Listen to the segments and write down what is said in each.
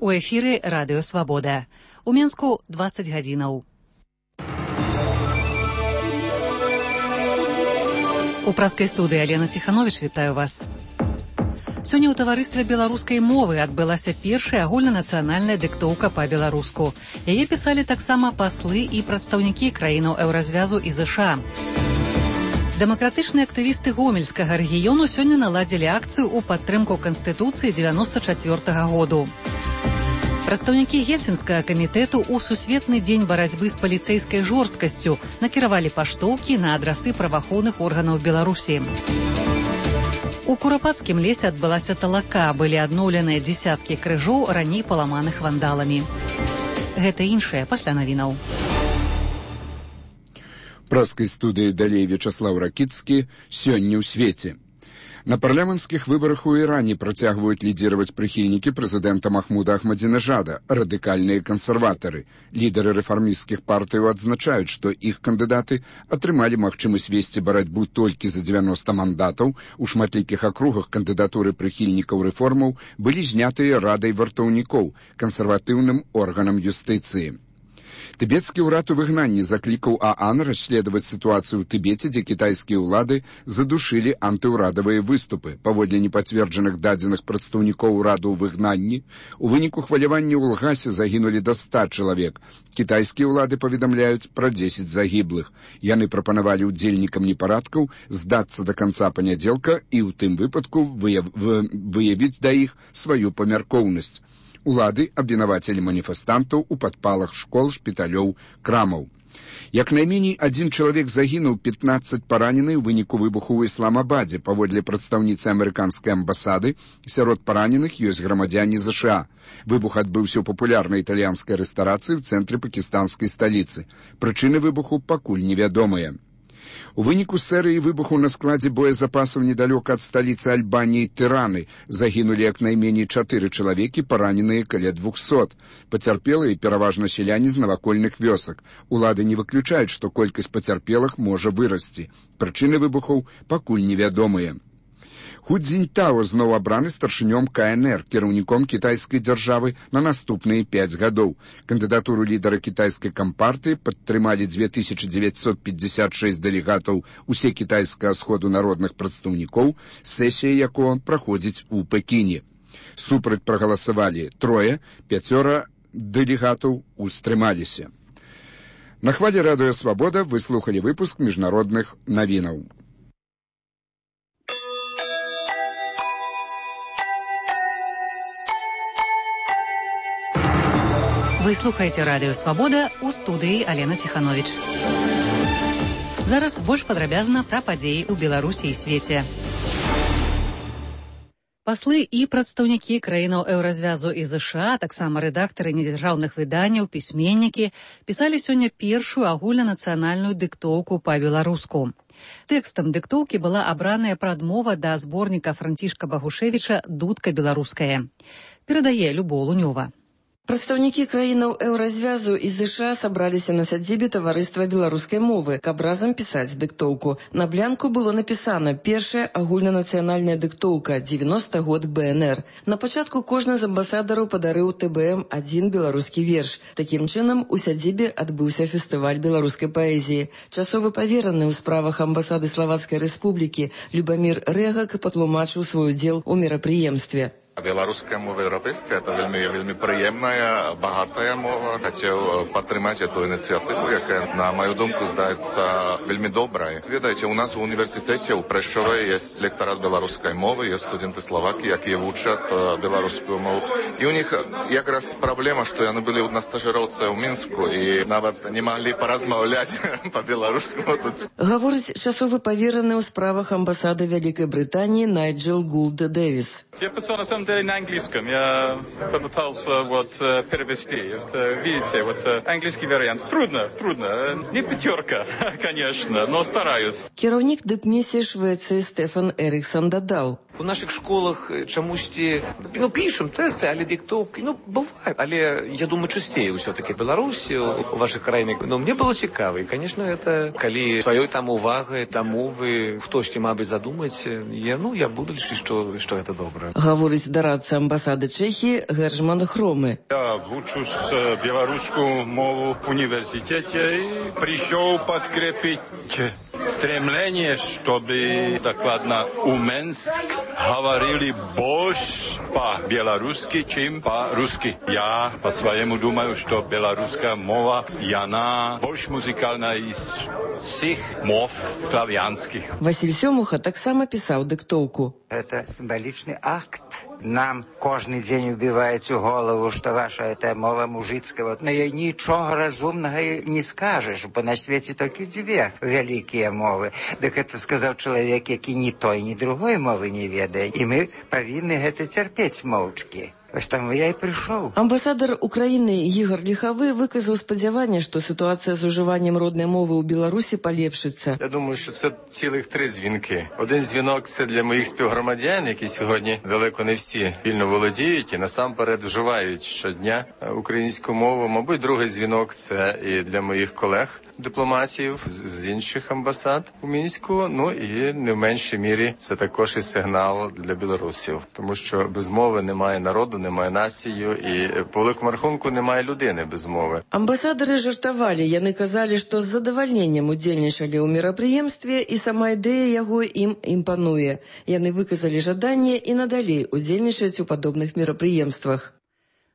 У эфіры Радыё Свабода. У Менску 20 гадзінаў. У праскай студыі Алена Ціхановіч вітаю вас. Сёння ў таварыстве беларускай мовы адбылася першая агульнанацыянальная дыктоўка па-беларуску. Яе пісалі таксама паслы і прадстаўнікі краінаў еўразвязу і ЗША. Дэмакратычныя актывісты гомельскага рэгіёну сёння наладзілі акцыю ў падтрымку Канстытуцыі 94-го году. Прадстаўнікі Гельсінскага камітэту ў Сусветны дзень барацьбы з паліцэйскай жорсткасцю накіравалі паштоўкі на адрасы праваахоўных органаў Беларусі. У Курапацкім лесе адбылася талака, былі адноўленыя дзесяткі крыжоў, раней паламаных вандаламі. Гэта іншае пасля навінаў. Праскай студыі далей Вячаслаў Ракіцкі. Сёння ў свеце. На парламенцкіх выбарах у Іране працягваюць лідзіраваць прыхільнікі прэзідэнта Махмуда Ахмадзінежада, радыкальныя кансерватары. Лідары рэфармісцкіх партыяў адзначаюць, што іх кандыдаты атрымалі магчымасць весці барацьбу толькі за 90 мандатаў. У шматлікіх акругах кандыдатуры прыхільнікаў рэформаў былі знятыя радай вартаўнікоў, кансерватыўным органам юстыцыі. Тыбецкі ўрад у выгнанні заклікаў ААН расследаваць сітуацыю ў Тыбеце, дзе кітайскія ўлады задушылі антыўрадавыя выступы. Паводле непацверджаных дадзеных прадстаўнікоў ураду ў выгнанні, у выніку хвалявання ў Лгасе загінулі да 100 чалавек. Кітайскія ўлады паведамляюць пра 10 загіблых. Яны прапанавалі ўдзельнікам непарадкаў здацца да канца панядзелка і ў тым выпадку выявіць да іх сваю памяркоўнасць. Улады абвінавацілі маніфестантаў у падпалах школ, шпіталёў, крамаў. Як найменей адзін чалавек загінуў, 15 паранены ў выніку выбуху ў Ісламабадзе. Паводле прадстаўніцы амерыканскай амбасады, сярод параненых ёсць грамадзяне ЗША. Выбух адбыўся ў папулярнай італьянскай рэстарацыі ў цэнтры пакістанскай сталіцы. Прычыны выбуху пакуль невядомыя. У выніку серыі выбуху на складзе боезапасаў недалёка ад сталіцы Альбаніі Тыраны загінулі як найменей 4 чалавекі, параненыя каля 200. Пацярпелыя пераважна сяляне з навакольных вёсак. Улады не выключаюць, што колькасць пацярпелых можа вырасці. Прычыны выбухаў пакуль невядомыя. Ху Цзіньтао зноў абраны старшынём КНР, кіраўніком кітайскай дзяржавы на наступныя 5 гадоў. Кандыдатуру лідара кітайскай кампартыі падтрымалі 2956 дэлегатаў усе кітайскага сходу народных прадстаўнікоў, сесія якога праходзіць у Пекіне. Супраць прагаласавалі 3, 5 дэлегатаў устрымаліся. На хвалі Радыё Свабода вы слухалі выпуск міжнародных навінаў. Вы слухаеце Радыё Свабода, у студыі Алена Ціхановіч. Зараз больш падрабязна пра падзеі ў Беларусі і свеце. Паслы і прадстаўнікі краінаў еўразвязу і ЗША, таксама рэдактары недзяржаўных выданняў, пісьменнікі, пісалі сёння першую агульнанацыянальную дыктоўку па-беларуску. Тэкстам дыктоўкі была абраная прадмова да зборніка Францішка Багушевіча «Дудка беларуская». Перадае Любоў Лунёва. Прадстаўнікі краінаў еўразвязу і ЗША сабраліся на сядзібе таварыства беларускай мовы, каб разам пісаць дыктоўку. На блянку было напісана «Першая агульнанацыянальная дыктоўка, 90 год БНР». На пачатку кожны з амбасадараў падарыў ТБМ адзін беларускі верш. Такім чынам, у сядзібе адбыўся фестываль беларускай паэзіі. Часовы павераны ў справах амбасады Славацкай Рэспублікі Любамір Рэгак патлумачыў свой удзел у мерапрыемстве. Беларуская мова еўрапейская – это вельмі прыемная, багатая мова. Хацеў падтрымаць эту ініцыятыву, якая, на маю думку, здаецца вельмі добрай. Ведаеце, у нас у універсітэце ў Прэшчове ёсць лектарат беларускай мовы, ёсць студэнты Славакі, якія вучаць беларускую мову. І у них якраз праблема, што яны былі на стажыроўцы ў Мінску і нават не маглі паразмаўляць па-беларуску. Гаворыць часовы павераны ў справах амбасады Вялікай Брытаніі Найджел Гулд Дэвіс. Я писал на самом деле на английском. Я попытался перевести. Видите, английский вариант. Трудно. Не 5, конечно, но стараюсь. Кіраўнік дыпмісіі Швецыі Стефан Эріксон дадаў. У наших школах чомусь пишемо тести, але диктовки, буває. Але, я думаю, частіше все-таки в Білорусі, у ваших країнах. Мені було цікаво. І, звісно, це, коли своєю там увагою, там мови, хтось, мабуть, задумається, я буду лише, що це добре. Говорить дорадца амбасады Чехии Гержман Хромы. Я учусь белорусскую мову в университете и пришел подкрепить стремление, чтобы докладно у Минск говорили больше по-белорусски, чем по-русски. Я по-своему думаю, что белорусская мова, и она больше музыкальная из всех мов славянских. Василь Сёмуха так само писал диктовку. Это символичный акт. Нам кожен день убивает у голову, что ваша эта мова мужицкая. Вот, но ничего разумного не скажешь, бо на свете только две великие мовы. Так это сказал человек, який ні той, ні другої мови не ведає. І ми повинні это терпеть мовчки. Ось там я і прийшов. Амбасадар України Ігор Ліхавы виказав сподівання, що ситуація з уживанням родної мови у Білорусі поліпшиться. Я думаю, що це цілих 3 дзвінки. Один дзвінок – це для моїх співгромадян, які сьогодні далеко не всі вільно володіють і насамперед вживають щодня українську мову. Мабуть, другий дзвінок – це і для моїх колег, дипломатів з інших амбасад у Мінську. Ну і не в меншій мірі це також і сигнал для білорусів. Тому що без мови немає народу, немає націю і по великому рахунку немає людини без мови. Амбасадары жартавалі, яны казалі, што з задавальненнем удзельнічалі ў мерапрыемстве і сама ідэя яго ім імпануе. Яны выказалі жаданне і надалей удзельнічаць у падобных мерапрыемствах.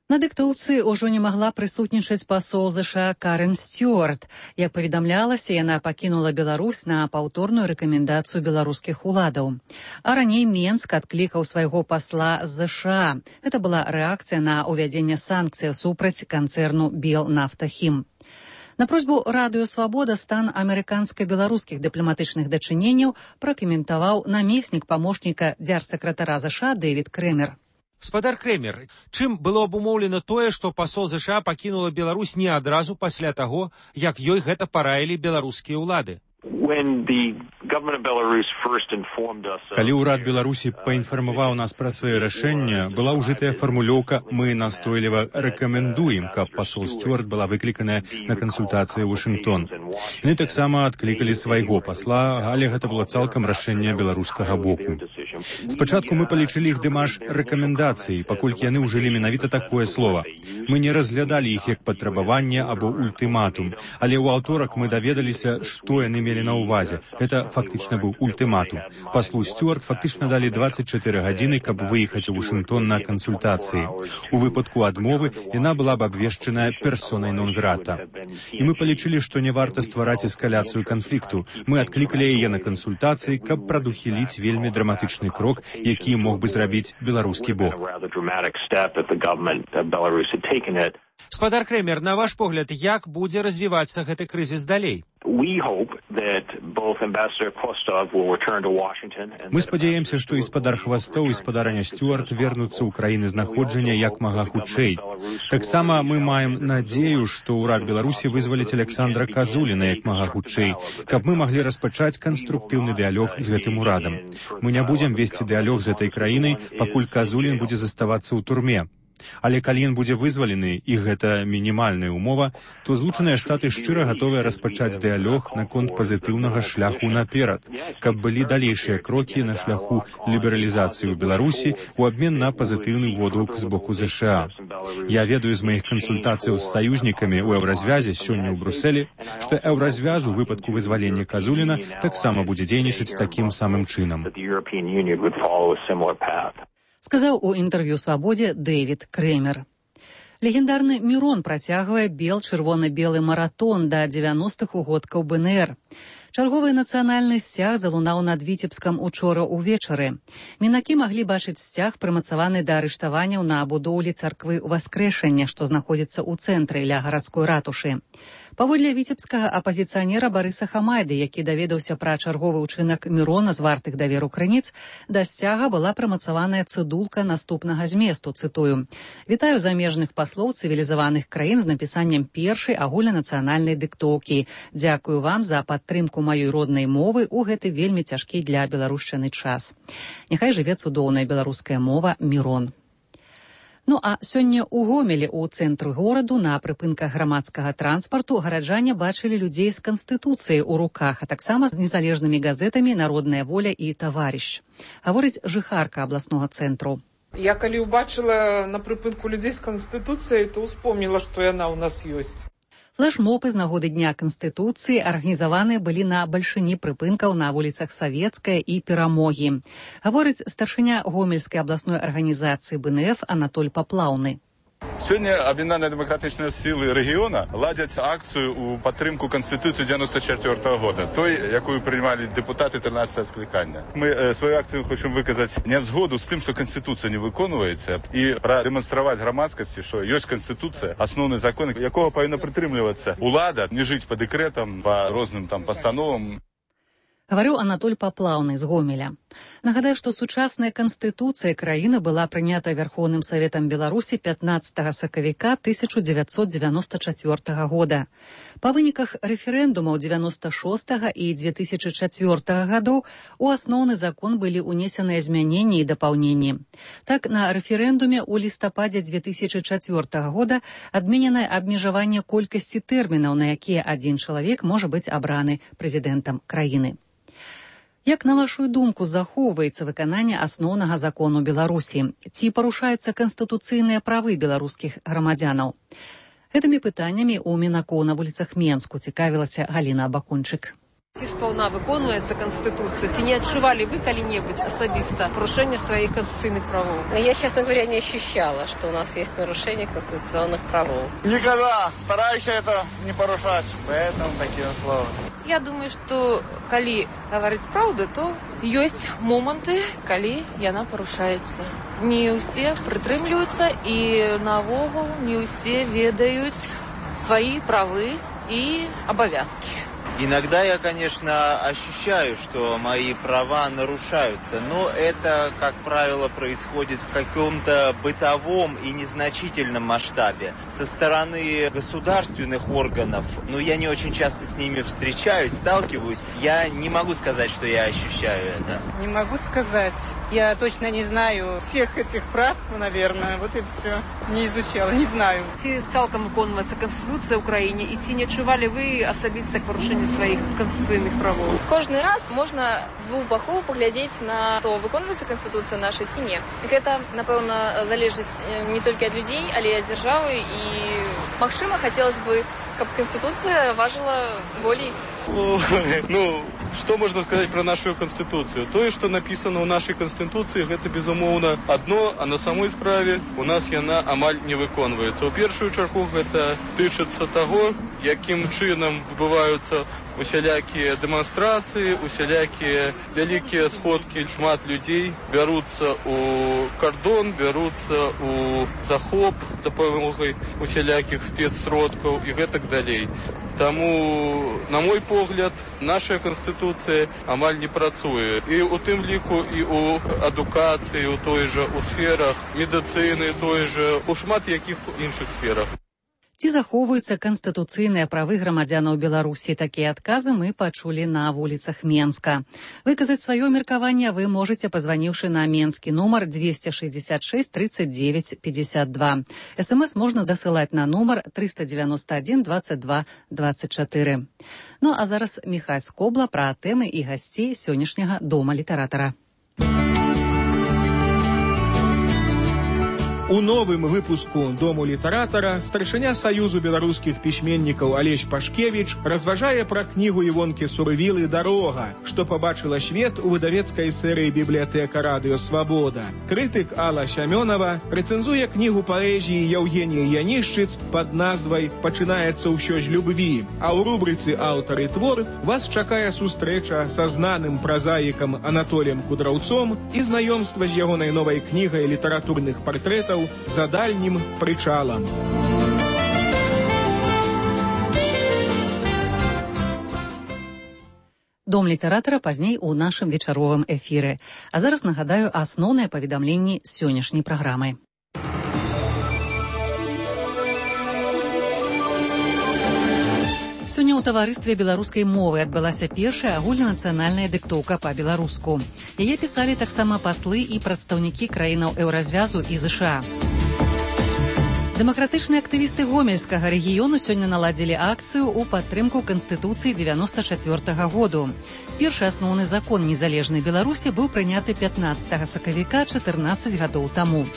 На дыктоўцы ўжо не магла прысутнічаць пасол ЗША Карен Стюарт. Як паведамлялася, яна пакінула Беларусь на паўторную рэкамендацыю беларускіх уладаў. А раней Менск адклікаў свайго пасла з ЗША. Гэта была рэакцыя на ўвядзенне санкцый супраць канцэрну «Белнафтахім». На просьбу Радыё Свабода стан амерыканска-беларускіх дыпламатычных дачыненняў пракаментаваў намеснік памочніка дзяржсакратара ЗША Дэвід Крэмер. Гаспадар Крэмер, чым было абумоўлена тое, што пасол ЗША пакінула Беларусь не адразу пасля таго, як ёй гэта параілі беларускія ўлады? Калі ўрад Беларусі паінфармаваў нас пра свае рашэнне, была ўжытая фармулёўка «Мы настойліва рэкамендуем», каб пасол Стюарт была выкліканая на кансультацыі ў Вашынгтон. Яны таксама адклікалі свайго пасла, але гэта было цалкам рашэнне беларускага боку. Спачатку мы палічылі іх дэмаш рэкамендацыі, паколькі яны ўжылі менавіта такое слова. Мы не разглядалі іх як патрабаванне або ультыматум, але ў аўторак мы даведаліся, што яны мелі на ўвазе. Гэта фактычна быў ультыматум. Паслу Стюарт фактычна далі 24 гадзіны, каб выехаць у Вашынгтон на кансультацыі. У выпадку адмовы яна была б абвешчаная персонай нон-грата. І мы палічылі, што не варта ствараць эскаляцыю канфлікту. Мы адклікалі яе на кансультацыі, каб прадухіліць вельмі драматычны крок, які мог бы зрабіць беларускі бок. Гаспадар Крэмер, на ваш погляд, як будзе развівацца гэты крызіс далей? Мы спадзяемся, што і спадар Хвастоў і спадарня Стюарт вернуцца ў краіны знаходжання як мага хутчэй. Таксама мы маем надзею, што ўрад Беларусі вызваліць Александра Казуліна як мага хутчэй, каб мы маглі распачаць канструктыўны дыялог з гэтым урадам. Мы не будзем весці дыялог з этой краінай, пакуль Казулін будзе заставацца ў турме. Але калі ён будзе вызвалены, і гэта мінімальная умова, то Злучаныя Штаты шчыра гатовыя распачаць дыялог наконт пазітыўнага шляху наперад, каб былі далейшыя крокі на шляху лібералізацыі ў Беларусі ў абмен на пазітыўны водгук з боку ЗША. Я ведаю з маіх кансультацыяў з саюзнікамі ў Еўразвязе сёння ў Брусэлі, што Еўразвяз у выпадку вызвалення Казуліна таксама будзе дзейнічаць такім самым чынам. Сказаў у інтэрв'ю «Свабодзе» Дэвід Крэмер. Легендарны Мірон працягвае бел-чырвона-белы маратон да 90-х угодкаў БНР. Чарговы нацыянальны сцяг залунаў над Віцебскам учора ўвечары. Мінакі маглі бачыць сцяг, прымацаваны да арыштаванняў на будоўлі царквы Васкрэшання, што знаходзіцца ў цэнтры ля гарадской ратушы. Паводле віцебскага апазіцыянера Барыса Хамайды, які даведаўся пра чарговы ўчынак Мірона з вартых даверу крыніц, да сцяга была прымацаваная цыдулка наступнага зместу, цытую: «Вітаю замежных паслоў цывілізаваных краін з напісаннем першай агульнанацыянальнай дыктоўкі. Дзякую вам за падтрымку маёй роднай мовы ў гэты вельмі цяжкі для беларушчыны час. Няхай жыве цудоўная беларуская мова Мірон». Ну а сёння ў Гомелі ў цэнтры гораду на прыпынках грамадскага транспарту гараджане бачылі людзей з канстытуцыяй у руках, а таксама з незалежнымі газетамі «Народная воля» і «Таварыш». Гаворыць жыхарка абласнога цэнтру. Я калі ўбачыла на прыпынку людзей з канстытуцыяй, то ўспомніла, што яна ў нас ёсць. Флэшмобы з нагоды Дня Канстытуцыі арганізаваныя былі на бальшыні прыпынкаў на вуліцах Савецкая і Перамогі. Гаворыць старшыня Гомельскай абласной арганізацыі БНФ Анатоль Паплаўны. Сёння аб'яднаныя дэмакратычныя сілы рэгіёна ладзяць акцыю ў падтрымку Канстытуцыі 94-го года, той, якую прымалі дэпутаты 13-го склікання. Мы сваю акцыю хочам выказаць нязгоду з тым, што Канстытуцыя не выконваецца, і прадэманстраваць грамадскасці, што ёсць Канстытуцыя, асноўны закон, якога павінна прытрымлівацца улада, не жыць па дэкрэтам, па розным пастановам. Гаварыў Анатоль Паплаўны з Гомеля. Нагадаю, што сучасная канстытуцыя краіны была прынята Вярхоўным Саветам Беларусі 15 сакавіка 1994 года. Па выніках рэферэндумаў 96 і 2004 гадоў у асноўны закон былі ўнесеныя змяненні і дапаўненні. Так, на рэферэндуме ў лістападзе 2004 года адмененае абмежаванне колькасці тэрмінаў, на якія адзін чалавек можа быць абраны прэзідэнтам краіны. Як, на вашу думку, захоўваецца выкананне асноўнага закону Беларусі? Ці парушаюцца канстытуцыйныя правы беларускіх грамадзянаў? Гэтымі пытаннямі ў Мінаку на вуліцах Менску цікавілася Галіна Абакунчык. Ці сполна выконваецца Конституция? Ці не отчували вы когда-нибудь особисто нарушение своих конституционных правов? Я, честно говоря, не ощущала, что у нас есть нарушение конституционных правов. Никогда. Стараюсь это не порушать. Поэтому такие слова. Я думаю, что коли говорить правду, то есть моменты, коли яна порушается. Не все прытрымліваюцца и навогул не все ведают свои правы и обовязки. Иногда я, конечно, ощущаю, что мои права нарушаются, но это, как правило, происходит в каком-то бытовом и незначительном масштабе. Со стороны государственных органов, я не очень часто с ними встречаюсь, сталкиваюсь, я не могу сказать, что я ощущаю это. Не могу сказать. Я точно не знаю всех этих прав, наверное, вот и все. Не изучала, не знаю. Ці цалкам выконваецца Конституция Украине, и ці не адчували вы особисто порушение своих конституционных правов? Кожны раз можна з двух бакоў паглядзець на то, выконваецца Конституцыя наша ці не. Гэта, напэўна, залежыць не толькі ад людзей, але і ад дзяржавы, і, магчыма, хацелось бы, каб Конституция важила болей. Что можно сказать про нашу Конституцию? То, что написано в нашей Конституции, это, безумоўна, одно, а на самой справе у нас яна амаль не выконваецца. У першую чаргу гэта тычыцца таго, якім чынам адбываюцца усялякія дэманстрацыі, усялякія вялікія сходкі, шмат людзей бяруцца у кардон, бяруцца у захоп дапамогай усялякіх спецсродкаў і гэтак далей. Таму, на мой погляд, наша Конституцыя амаль не працуе. І у тым ліку і у адукацыі, у той жа, у сферах медыцыны, той жа, у шмат якіх іншых сферах. Ці захоўваюцца канстытуцыйныя правы грамадзянаў Беларусі? Такія адказы мы пачулі на вуліцах Менска. Выказаць сваё меркаванне вы можаце, пазваніўшы на менскі нумар 266 39 52. СМС можна дасылаць на нумар 391 22 24. Ну а зараз Міхась Скобла пра тэмы і гасцей сённяшняга Дома літаратара. У новым выпуску «Дому літаратара» старшыня Саюзу беларускіх пісьменнікаў Алесь Пашкевіч разважае пра кнігу Івонкі Сурывілы «Дарога», што пабачыла свет у выдавецкай серыі «Бібліятэка радыё Свабода». Крытык Алла Сямёнова рэцэнзуе кнігу паэзіі Яўгеніі Янішчыц пад назвай «Пачынаецца ўсё з любві», а ў рубрыцы «Аўтар і твор» вас чакае сустрэча са знаным празаікам Анатоліем Кудраўцом і знаёмства з ягонай новай кнігай літаратурных партрэтаў «За дальнім прычалам». Дом літаратара пазней у нашым вечаровым эфіры. А зараз нагадаю асноўныя паведамленні сённяшняй праграмы. Сёння ў таварыстве беларускай мовы адбылася першая агульнанацыянальная дыктоўка па-беларуску. Яе пісалі таксама паслы і прадстаўнікі краінаў еўразвязу і ЗША. Дэмакратычныя актывісты гомельскага рэгіёну сёння наладзілі акцыю ў падтрымку Канстытуцыі 94-го году. Першы асноўны закон незалежнай Беларусі быў прыняты 15 сакавіка 14 гадоў таму.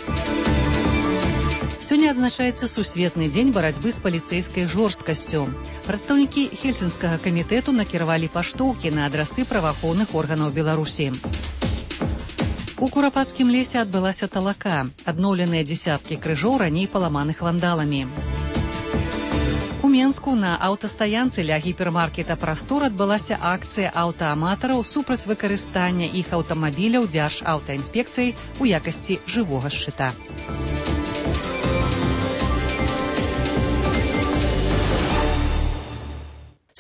Сёння адзначаецца Сусветны дзень барацьбы з паліцэйскай жорсткасцю. Прадстаўнікі Хельсінскага камітэту накіравалі паштоўкі на адрасы праваахоўных органаў Беларусі. У Курапацкім лесе адбылася талака. Адноўленыя дзесяткі крыжоў раней паламаных вандаламі. У Менску на аўтастаянцы ля гіпермаркета «Прастор» адбылася акцыя аўтааматараў супраць выкарыстання іх аўтамабіляў Дзяржаўтаінспекцыяй у якасці жывога шчыта.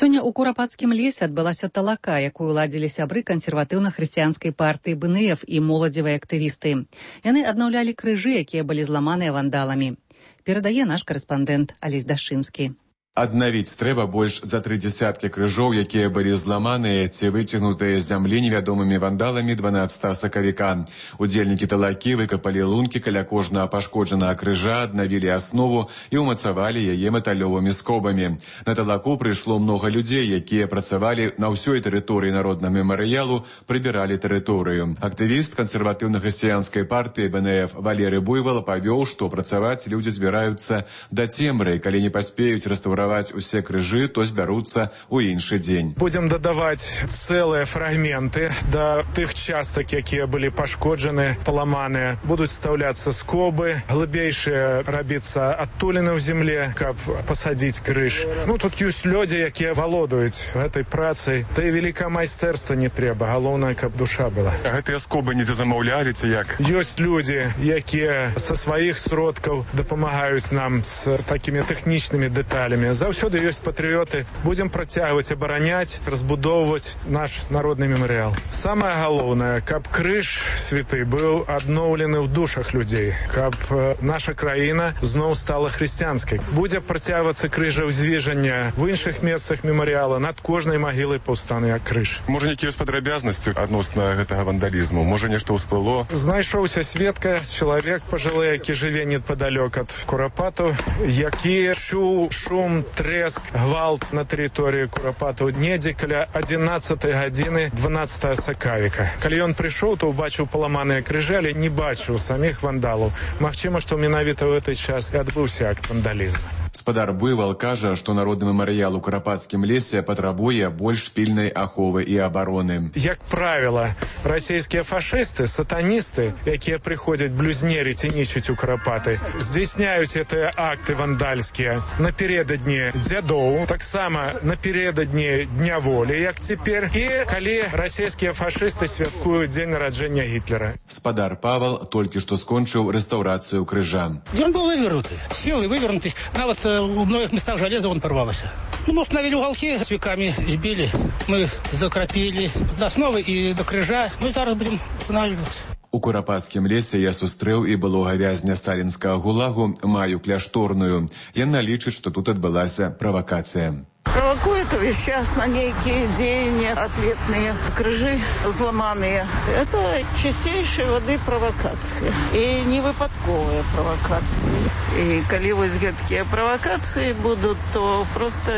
Сёння ў Курапацкім лесе адбылася талака, якую ладзілі сябры кансерватыўна-хрысціянскай партыі БНФ і моладзевыя актывісты. Яны аднаўлялі крыжы, якія былі зламаныя вандаламі. Перадае наш карэспандэнт Алесь Дашчынскі. Аднавіць трэба больш за 3 десяткі крыжоў, якія былі зламаныя ці выцягнутыя з зямлі невядомымі вандаламі 12 сакавіка. Удзельнікі талакі выкапалі лункі каля кожнага пашкоджанага крыжа, аднавілі аснову і ўмацавалі яе металёвымі скобамі. На талаку прыйшло многа людзей, якія працавалі на ўсёй тэрыторыі народнага мемарыялу, прыбіралі тэрыторыю. Актывіст кансерватыўна-хрысціянскай партыі БНФ Валерый Буйвол павёў, што працаваць людзі збіраюцца да цемры, калі не паспеюць рэстаўраваць усе крыжы, то збяруцца ў іншы дзень. Будзем дадаваць цэлыя фрагменты да тых частак, якія былі пашкоджаны, паламаныя. Будуць стаўляцца скобы, глыбейшыя рабіцца адтуліны ў земле, каб пасадзіць крыж. Тут ёсць людзі, якія валодаюць гэтай працай. Да і вялікае майстэрства не трэба, галоўнае, каб душа была. А гэтыя скобы недзе замаўлялі ці як? Ёсць людзі, якія са сваіх сродкаў дапамагаюць нам з такімі тэхнічнымі дэталямі. Заўсёды ёсць патрыёты. Будзем працягваць абараняць, разбудоўваць наш народны мемарыял. Самае галоўнае, каб крыж святы быў адноўлены ў душах людзей, каб наша краіна зноў стала хрысціянскай. Будзе працягвацца крыжаўзвіжання в іншых месцах мемарыяла, над кожнай магілай паўстане крыж. Можа, нейкія падрабязнасці адносна гэтага вандалізму? Можа, нешта ўсплыло? Знайшоўся сведка, чалавек пажылы, які жыве непадалёк ад Курапату, які чуў шум, трэск, гвалт на тэрыторыі Курапату недзе каля 11 гадзіны 12 сакавіка. Калі ён прыйшоў, то убачыў паламаныя крыжы, але не бачыў саміх вандалаў. Магчыма, што менавіта ў гэты час і адбыўся акт вандалізму. Спадар Буйвол кажа, што народны мемарыял у Курапацкім лесе патрабуе больш пільнай аховы і абароны. Як правіла, расійскія фашысты, сатаністы, якія прыходзяць блюзнерыць і нічыць у Курапаты, здзяйсняюць гэтыя акты вандальскія напярэдадні дзядоў, таксама напярэдадні Дня волі, як цяпер, і калі расійскія фашысты святкуюць дзень нараджэння Гітлера. Спадар Павел толькі што скончыў рэстаўрацыю крыжа. Ён быў вывернуты, сілы вывернуты, нават у многих местах железо он порвалось. Установили уголки, с веками сбили, мы закрапили до основы и до крыжа. Мы зараз будем устанавливаться. У Курапацкім лесе я сустрэў і былога вязня сталінскага гулагу Маю Кляшторную. Яна лічыць, што тут адбылася правакацыя. Провокует увесь час на некие деяния ответные, крыжи взломанные. Это чистейшей воды провокации. И не выпадковые провокации. И коли вось гэткія провокации будут, то просто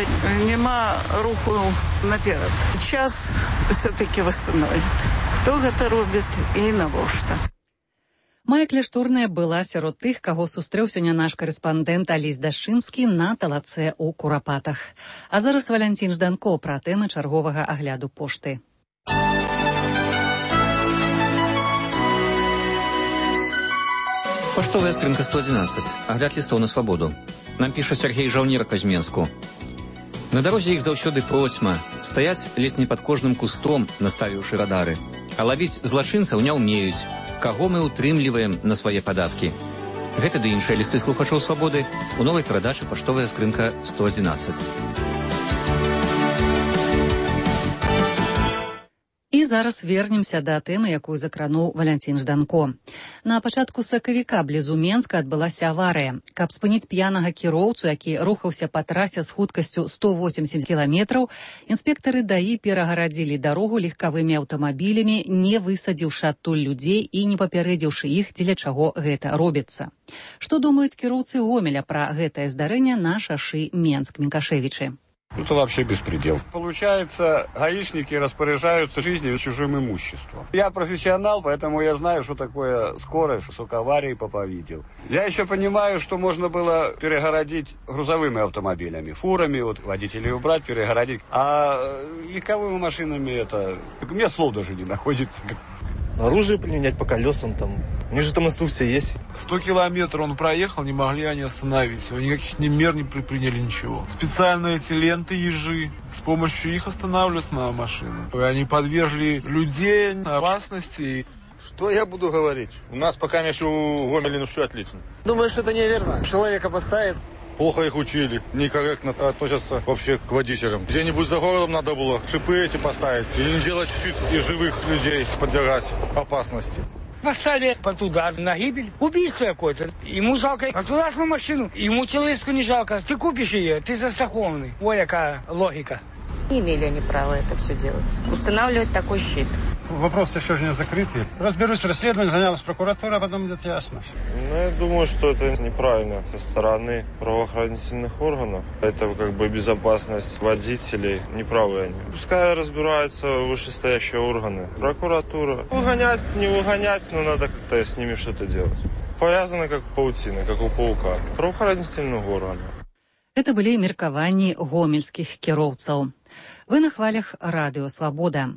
нема руху наперед. Час все-таки восстановит. Хто гэта робіць і навошта. Мая Кляшторная была сярод тых, каго сустрэў сёння наш карэспандэнт Алесь Дашчынскі на талацэ ў Курапатах. А зараз Валянцін Жданко пра тэмы чарговага агляду пошты. Поштовая скрынка 111. Агляд лістоў на свабоду. Нам піша Сергей Жаўнерка з Менску. На дарозе іх заўсёды процьма. Стаяць ледзь не пад кожным кустом, наставіўшы радары. А лавіць злачынцаў не ўмеюць. Каго мы утрымліваем на свае падаткі. Гэта ды іншыя лісты слухачоў свабоды у новай перадачы «Паштовая скрынка 111». зараз вернемся да тэмы, якую закрануў Валянцін Жданко. На пачатку сакавіка блізу Менска адбылася аварыя. Каб спыніць п'янага кіроўцу, які рухаўся па трасе з хуткасцю 180 кіламетраў, інспектары ДАІ перагарадзілі дарогу легкавымі аўтамабілямі, не высадзіўшы адтуль людзей і не папярэдзіўшы іх, дзеля чаго гэта робіцца. Што думаюць кіроўцы Гомеля пра гэтае здарэнне на шашы Менск-Минкашевичи? Это вообще беспредел. Получается, гаишники распоряжаются жизнью и чужим имуществом. Я профессионал, поэтому я знаю, что такое скорость, сколько аварий папа видел. Я еще понимаю, что можно было перегородить грузовыми автомобилями, фурами, вот водителей убрать, перегородить. А легковыми машинами это... У меня слов даже не находится. Оружие применять по колесам, там. У них же там инструкция есть. 100 километров он проехал, не могли они остановить его. Никаких ни мер не предприняли, ничего. Специальные эти ленты ежи. С помощью их останавливалась моя машина. И они подвергли людей опасности. Что я буду говорить? У нас пока еще у Гомеля все отлично. Думаю, что это неверно. Человека поставит. Плохо их учили, некорректно относятся вообще к водителям. Где-нибудь за городом надо было шипы эти поставить или не делать щит и живых людей подвергать опасности. Поставили под удар на гибель. Убийство какое-то. Ему жалко государственную машину, ему телеску не жалко. Ты купишь ее, ты застрахованный. Ой, какая логика. Не имели они права это все делать. Устанавливать такой щит. Вопрос еще же не закрытый. Разберусь в расследовании, занялась прокуратура, а потом будет ясно. Ну, я думаю, что это неправильно со стороны правоохранительных органов. Это как бы безопасность водителей. Неправы они. Пускай разбираются вышестоящие органы. Прокуратура. Выгонять, не выгонять, но надо как-то с ними что-то делать. Повязаны как паутина, как у паука. Правоохранительных органов. Это былі меркаванні гомельскіх кіроўцаў. Вы на хвалях радыё «Свабода».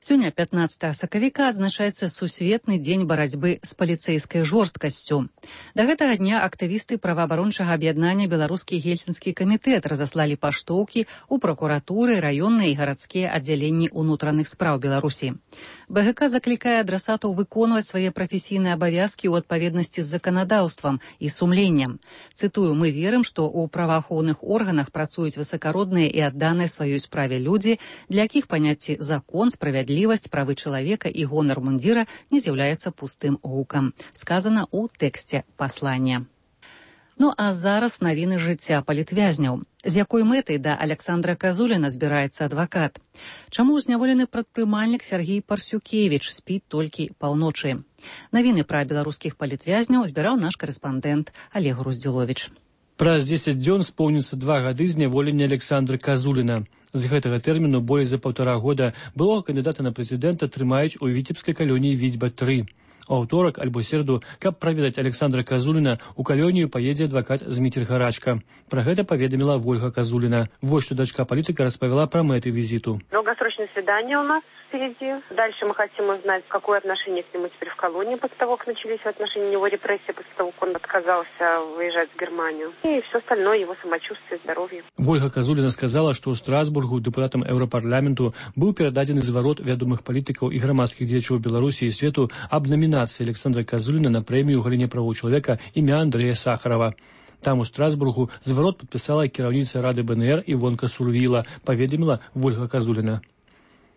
Сёння, 15 сакавіка, адзначаецца сусветны дзень барацьбы з паліцэйскай жорсткасцю. Да гэтага дня актывісты праваабарончага аб'яднання «Беларускі гельсінскі камітэт» разаслалі паштоўкі ў пракуратуры, раённыя і гарадскія аддзяленні ўнутраных спраў Беларусі. БГК заклікае адрасатаў выконваць свае прафесійныя абавязкі ў адпаведнасці з заканадаўствам і сумленнем. Цытую, мы верым, што ў праваахоўных органах працуюць высакародныя і адданыя сваёй справе людзі, для якіх паняцці закон, справядлівасць, правы чалавека і гонар мундзіра не з'яўляецца пустым гукам. Сказана ў тэксце паслання. Ну а зараз навіны жыцця палітвязняў. З якой мэтай да Александра Казуліна збіраецца адвакат? Чаму зняволены прадпрымальнік Сергей Парсюкевіч спіць толькі паўночы? Навіны пра беларускіх палітвязняў збіраў наш карэспандэнт Олег Груздзіловіч. Праз 10 дзён споўніцца 2 гады зняволення Александра Казуліна. З гэтага тэрміну болей за 1,5 года былога кандыдата на прэзідэнта трымаюць у віцебскай калоніі Віцьба-3. У аўторак альбо серду, каб праведаць Александра Казуліна, у калонію паедзе адвакат Зміцер Гарачка. Пра гэта паведаміла Вольга Казуліна. Вот что дочка палітыка распавяла пра мэты візіту. Долгосрочное свидание у нас впереди. Дальше мы хотим узнать, какое отношение к нему теперь в колонии после того, как начались в отношении него репрессии, после того, как он отказался выезжать в Германию. И все остальное, его самочувствие, здоровье. Вольга Казуліна сказала, што ў Страсбургу дэпутатам Еўрапарламенту быў перададзены зварот вядомых палітыкаў і грамадскіх дзеячоў Беларусі і свету аб номінацыі Александра Казуліна на прэмію ў галіне правоў чалавека імя Андрэя Сахарова. Там у Страсбургу зварот падпісала кіраўніца Рады БНР Івонка Сурвіла, паведаміла Вольга Казуліна.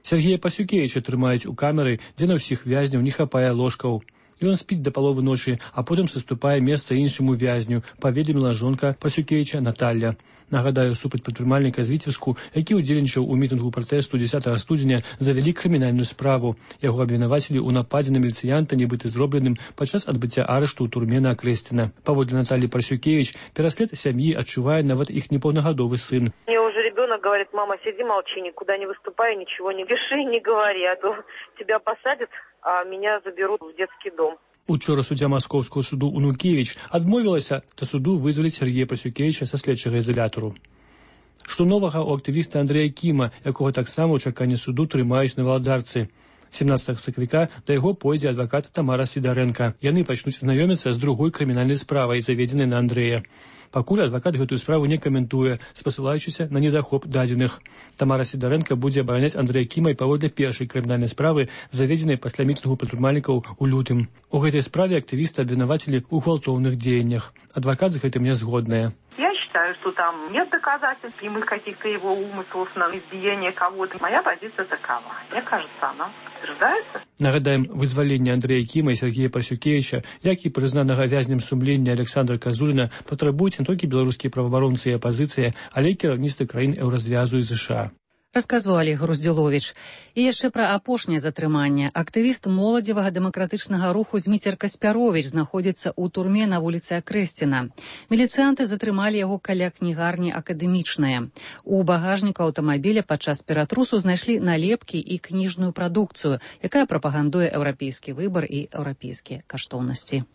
Сергея Парсюкевіча трымаюць у камеры, дзе на ўсіх вязняў не хапае ложкаў. Ён спіць да паловы ночы, а потым саступае месца іншаму вязню, паведаміла жонка Парсюкевіча Наталья. Нагадаю, супраць прадпрымальніка з Віцебску, які ўдзельнічаў у мітынгу пратэсту 10 студзеня, завялі крымінальную справу. Яго абвінавацілі ў нападзе на міліцыянта, нібыта зробленым падчас адбыцця арышту ў турме на Акрэсціна. Паводле Натальи Парсюкевич, пераслед сям'і адчувае нават іх непаўнагадовы сын. Мне уже ребенок говорит: мама, сиди, молчи, никуда не выступай, ничего не пиши, не говори, а то тебя посадят, а меня заберут в детский дом. Учора суддзя Маскоўскага суду Унукевіч адмовілася да суду вызваліць Сергея Парсюкевіча са следчага ізалятару. Што новага ў актывіста Андрэя Кіма, якога таксама ў чаканні суду трымаюць на валадарцы. 17 сакавіка да яго пойдзе адвакат Тамара Сідарэнка. Яны пачнуць знаёміцца з другой крымінальнай справай, заведзенай на Андрэя. Пакуль адвакат гэтую справу не каментуе, спасылаючыся на недахоп дадзеных. Тамара Сідарэнка будзе абараняць Андрэя Кіма і паводле першай крымінальнай справы, заведзенай пасля мітынгу прадпрымальнікаў у лютым. У гэтай справе актывісты абвінавацілі ў гвалтоўных дзеяннях. Адвакат з гэтым не згодная. Я считаю, что там нет доказательств прямых каких-то его умыслов на избиение кого-то. Моя позиция такова. Мне кажется, она подтверждается. Нагадаем, вызваленне Андрэя Кіма і Сергея Прасюкевіча, як і прызнанага вязнем сумлення Александра Казуліна, патрабуюць не толькі беларускія праваабаронцы і апазіцыя, але і кіраўніцтва краін Еўразвязу і ЗША. Расказваў Олег Груздзюловіч. І яшчэ пра апошняе затрыманне. Актывіст моладзевага дэмакратычнага руху Зміцер Каспяровіч знаходзіцца ў турме на вуліцы Акрэсціна. Міліцыянты затрымалі яго каля кнігарні «Акадэмічная». У багажніку аўтамабіля падчас ператрусу знайшлі налепкі і кніжную прадукцыю, якая прапагандуе еўрапейскі выбар і еўрапейскія каштоўнасці.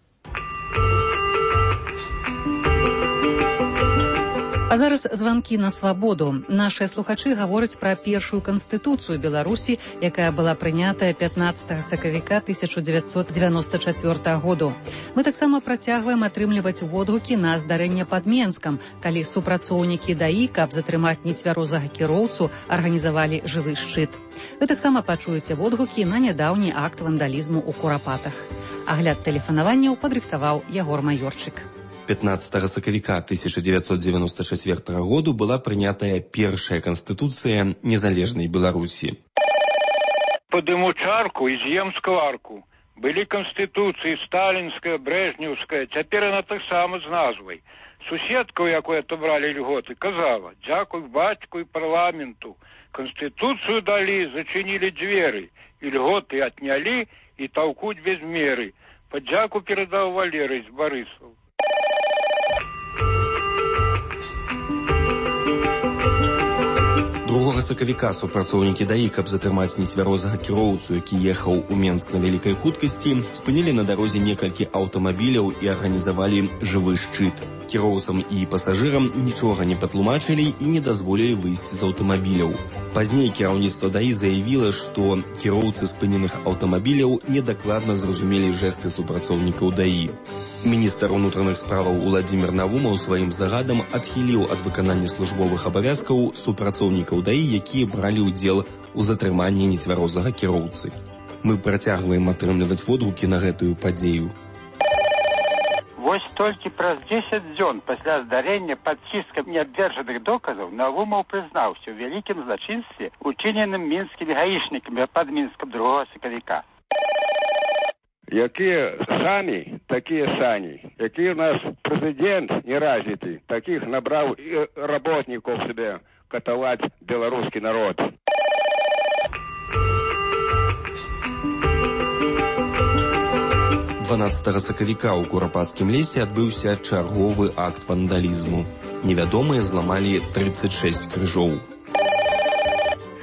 А зараз званкі на свабоду. Нашыя слухачы гавораць пра першую канстытуцыю Беларусі, якая была прынятая 15 сакавіка 1994 году. Мы таксама працягваем атрымліваць водгукі на здарэнне пад Менскам, калі супрацоўнікі ДАІ, каб затрымаць нецвярозага кіроўцу, арганізавалі жывы шчыт. Вы таксама пачуеце водгукі на нядаўні акт вандалізму ў Курапатах. Агляд тэлефанаванняў падрыхтаваў Ягор Майорчык. 15 сакавіка 1994 году была прынятая першая канстытуцыя незалежнай Беларусі. Падыму чарку і з'ем скварку. Былі канстытуцыі сталінская, брэжнеўская, цяпер яна таксама з назвай. Суседка, у якой атобралі льготы, казала: «Дзякуй бацьку і парламенту. Канстытуцыю далі, зачынілі дзверы, і льготы отнялі, і таўкуць без меры. Падзяку перадаў Валерый з Барысаў». 2 сакавіка супрацоўнікі ДАІ, каб затрымаць нецвярозага кіроўцу, які ехаў у Менск на вялікай хуткасці, спынілі на дарозе некалькі аўтамабіляў і арганізавалі жывы шчыт. Кіроўцам і пасажырам нічога не патлумачылі і не дазволілі выйсці з аўтамабіляў. Пазней кіраўніцтва ДАІ заявіла, што кіроўцы спыненых аўтамабіляў недакладна зразумелі жэсты супрацоўнікаў ДАІ. Міністр унутраных справаў Уладзімір Навумаў сваім загадам адхіліў ад выканання службовых абавязкаў супрацоўнікаў ДАІ, якія бралі ўдзел у затрыманні нецвярозага кіроўцы. Мы працягваем атрымліваць водгукі на гэтую падзею. Вось толькі праз 10 дзён пасля здарэння пад ціскам неабвержаных доказаў Навумаў прызнаўся ў вялікім злачынстве, учыненым мінскімі гаішнікамі пад Мінскам 2 сакавіка. Якія самі, такія сані. Які у нас прэзідэнт неразвіты, такіх набраў і работнікаў себе катаваць беларускі народ. — 12 сакавіка ў Курапацкім лесе адбыўся чарговы акт вандалізму. Невядомыя зламалі 36 крыжоў.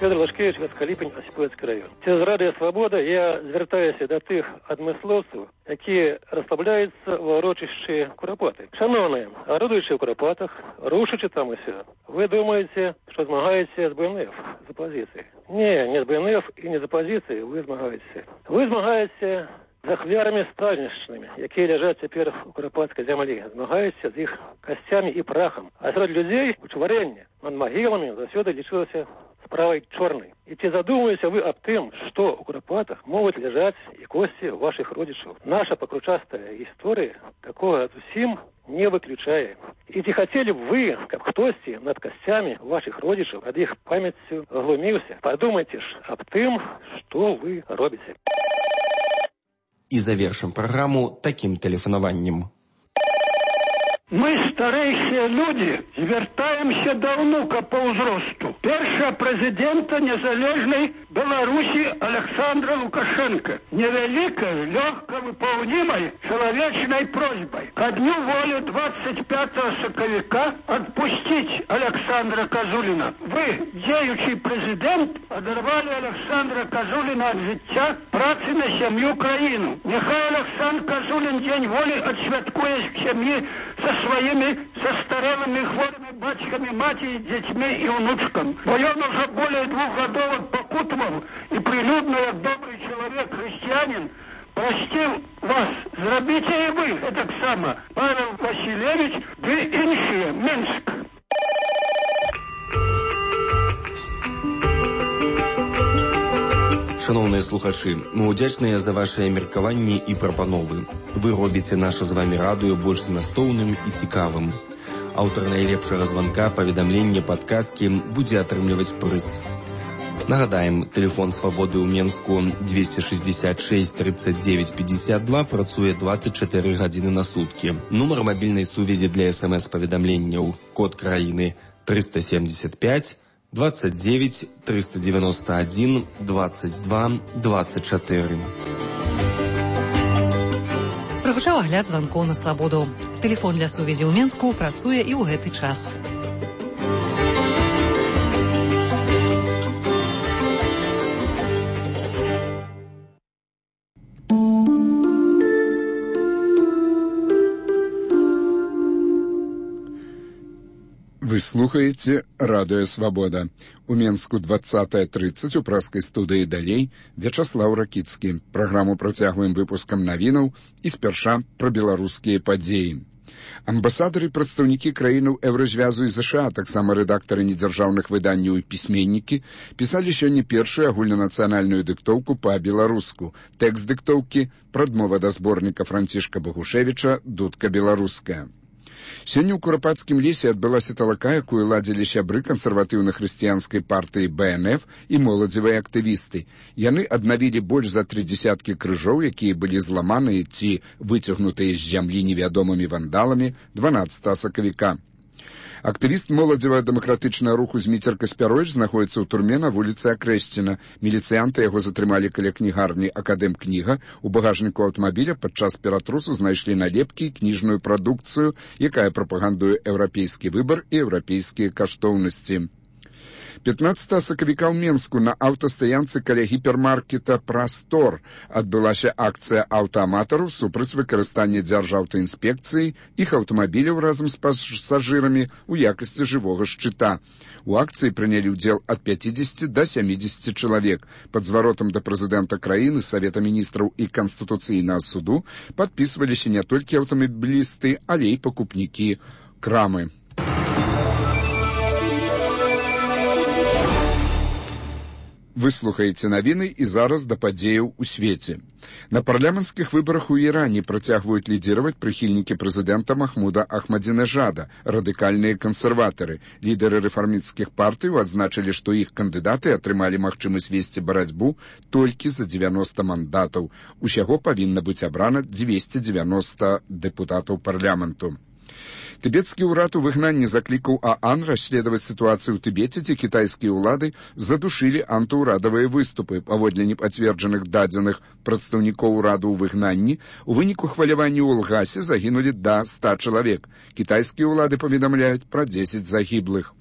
Федор Лашкевич, Гаскаліпень, Осіпоцький район. Цераз Радыё Свабода я звяртаюся да тых адмыслоўцаў, якія расслабляюцца ва ўрочышчы Курапаты. Шановныя, арудуючы ў Курапатах, рушачы там усё, вы думаеце, што змагаеце з БНФ, з апазіцыяй. Не з БНФ і не з апазіцыяй вы змагаеце. Вы змагаеце з ахвярамі сталіншчынамі, якія ляжаць цяпер у Курапацкай зямлі. Змагаеце з іх касцямі і прахам. А сярод людзей учварэнне над магіламі заўсёды лічылася справай чорнай. І ці задумваеце вы аб тым, што ў Курапатах могуць ляжаць і косці вашых родзічаў? Наша пакручастая гісторыя такога зусім не выключае. І ці хацелі б вы, каб хтосьці над касцямі вашых родзічаў ад іх памяццю глуміўся? Падумайце ж аб тым, што вы робіце. І завершым праграму такім тэлефанаваннем. Мы, старэйшыя людзі, звяртаемся да ўнука па ўзросту. Першага прэзідэнта незалежнай Беларусі Александра Лукашенко. Невялікай, лёгка выпаўнімай чалавечнай просьбай. Ко дню волі 25 сакавіка адпусціць Александра Казуліна. Вы, дзеючы прэзідэнт, адарвалі Александра Казуліна ад жыцця, працы на сям'ю краіну. Няхай Александр Казулін дзень волі адсвяткуе сям'і со своими состарелыми хворыми батьками, матери, детьми и внучками. Бо он уже более 2 годов покутывал и прилюдно, как добрый человек, христианин, простил вас. Зробите и вы это само. Павел Васильевич, вы иншие, Минск. Шановныя слухачы, мы ўдзячныя за вашыя меркаванні і прапановы. Вы робіце наша з вамі радыё больш змястоўным і цікавым. Аўтар найлепшага званка, паведамлення, падказкі будзе атрымліваць прыз. Нагадаем, тэлефон свабоды ў Менску 266 39 52 працуе 24 гадзіны на суткі. Нумар мабільнай сувязі для СМС-паведамленняў, код краіны 375 29 391 22 24. Прагучаў агляд званкоў на свабоду. Тэлефон для сувязі ў Менску працуе і ў гэты час. Вы слухаете «Радио Свобода». У Менску 20:30 у праскай студыі «Далей» Вячаслаў Ракіцкі. Праграму працягваем выпускам навінаў і спярша пра беларускія падзеі. Амбасадары і прадстаўнікі краінаў Еўразвязу і ЗША, таксама рэдактары недзяржаўных выданняў і пісьменнікі, пісалі сёння першую агульнанацыянальную дыктоўку па-беларуску. Тэкст дыктоўкі «Прадмова да зборніка Францішка Багушевіча «Дудка беларуская». Сёння ў Курапацкім лесе адбылася талака, якую ладзілі сябры кансерватыўна-хрысціянскай партыі БНФ і моладзевыя актывісты. Яны аднавілі больш за 30 крыжоў, якія былі зламаныя ці выцягнутыя з зямлі невядомымі вандаламі 12 сакавіка. Актывіст моладзева-дэмакратычнага руху Зміцер Каспяровіч знаходіцца ў турме на вуліцы Акрэсціна. Міліцыянты яго затрымалі каля кнігарні «Акадэм-кніга». У багажніку аўтамабіля падчас ператрусу знайшлі налепкі і кніжную прадукцыю, якая прапагандуе еўрапейскі выбар і еўрапейскія каштоўнасці. 15 сакавіка ў Менску на аўтастаянцы каля гіпермаркета «Прастор» адбылася акцыя аўтааматараў супраць выкарыстання дзяржаўтаінспекцыі іх аўтамабіляў разам з пасажырамі ў якасці жывога шчыта. У акцыі прынялі ўдзел ад 50 да 70 чалавек. Пад зваротам да прэзідэнта краіны, Савета міністраў і Канстытуцыйнага суду падпісваліся не толькі аўтамабілісты, але і пакупнікі крамы. Вы слухаеце навіны і зараз да падзеяў у свеце. На парламенцкіх выбарах у Іране працягваюць лідзіраваць прыхільнікі прэзідэнта Махмуда Ахмадзінежада, радыкальныя кансерватары. Лідары рэфармісцкіх партыяў адзначылі, што іх кандыдаты атрымалі магчымасць весці барацьбу толькі за 90 мандатаў. Усяго павінна быць абрана 290 дэпутатаў парламенту. Тыбецкі ўрад у выгнанні заклікаў ААН расследаваць сітуацыю ў Тыбеце, дзе кітайскія ўлады задушылі антыўрадавыя выступы. Паводле непацверджаных дадзеных прадстаўнікоў ураду ў выгнанні, у выніку хвалявання ў Лгасе загінулі да 100 чалавек. Кітайскія ўлады паведамляюць пра 10 загіблых.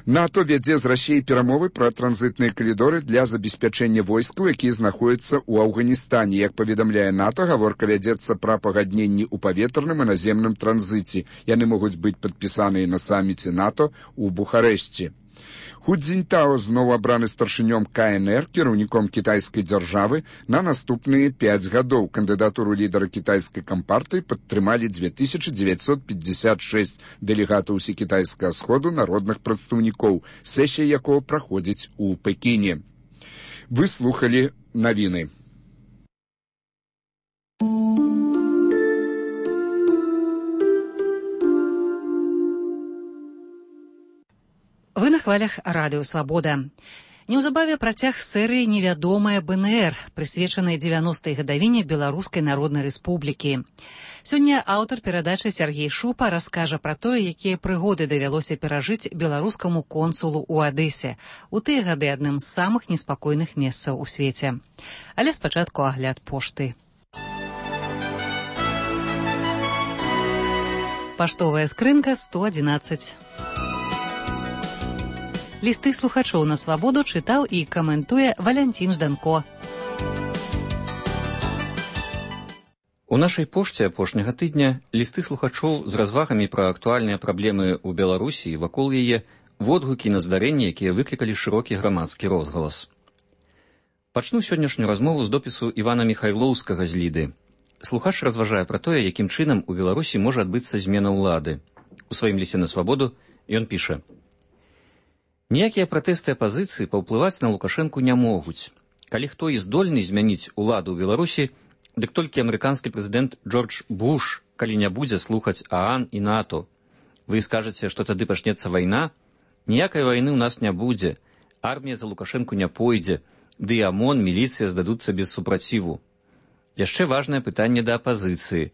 НАТО вядзе з Расіяй перамовы пра транзітныя калідоры для забеспячэння войскаў, якія знаходзяцца ў Афганістане. Як паведамляе НАТО, гаворка вядзецца пра пагадненні ў паветраным і наземным транзіце. Яны могуць быць падпісаныя на саміце НАТО ў Бухарэшце. Ху Цзіньтао зноў абраны старшынём КНР, кіраўніком кітайскай дзяржавы, на наступныя 5 гадоў. Кандыдатуру лідара кітайскай кампартыі падтрымалі 2956 дэлегатаў усекітайскага сходу народных прадстаўнікоў, сесія якого праходзіць у Пекіне. Вы слухалі навіны. Вы на хвалях радыё «Свабода». Неўзабаве працяг серыі «Невядомая БНР», прысвечанай 90-й гадавіне Беларускай Народнай Рэспублікі. Сёння аўтар перадачы Сяргей Шупа раскажа пра тое, якія прыгоды давялося перажыць беларускаму консулу ў Адэсе. У тыя гады адным з самых неспакойных месцаў у свеце. Але спачатку агляд пошты. Паштовая скрынка 111. Лісты слухачоў на свабоду чытаў і каментуе Валянцін Жданко. У нашай пошце апошняга тыдня лісты слухачоў з развагамі пра актуальныя праблемы ў Беларусі і вакол яе, водгукі на здарэнні, якія выклікалі шырокі грамадскі розгалас. Пачну сённяшнюю размову з допісу Івана Міхайлоўскага з Ліды. Слухач разважае пра тое, якім чынам у Беларусі можа адбыцца змена ўлады. У сваім лісце на свабоду ён піша: ніякія пратэсты апазіцыі паўплываць на Лукашэнку не могуць. Калі хто і здольны змяніць уладу ў Беларусі, дык толькі амерыканскі прэзідэнт Джордж Буш, калі не будзе слухаць ААН і НАТО. Вы скажаце, што тады пачнецца вайна? Ніякай вайны ў нас не будзе. Армія за Лукашэнку не пойдзе, ды і ОМОН, міліцыя здадуцца без супраціву. Яшчэ важнае пытанне да апазіцыі.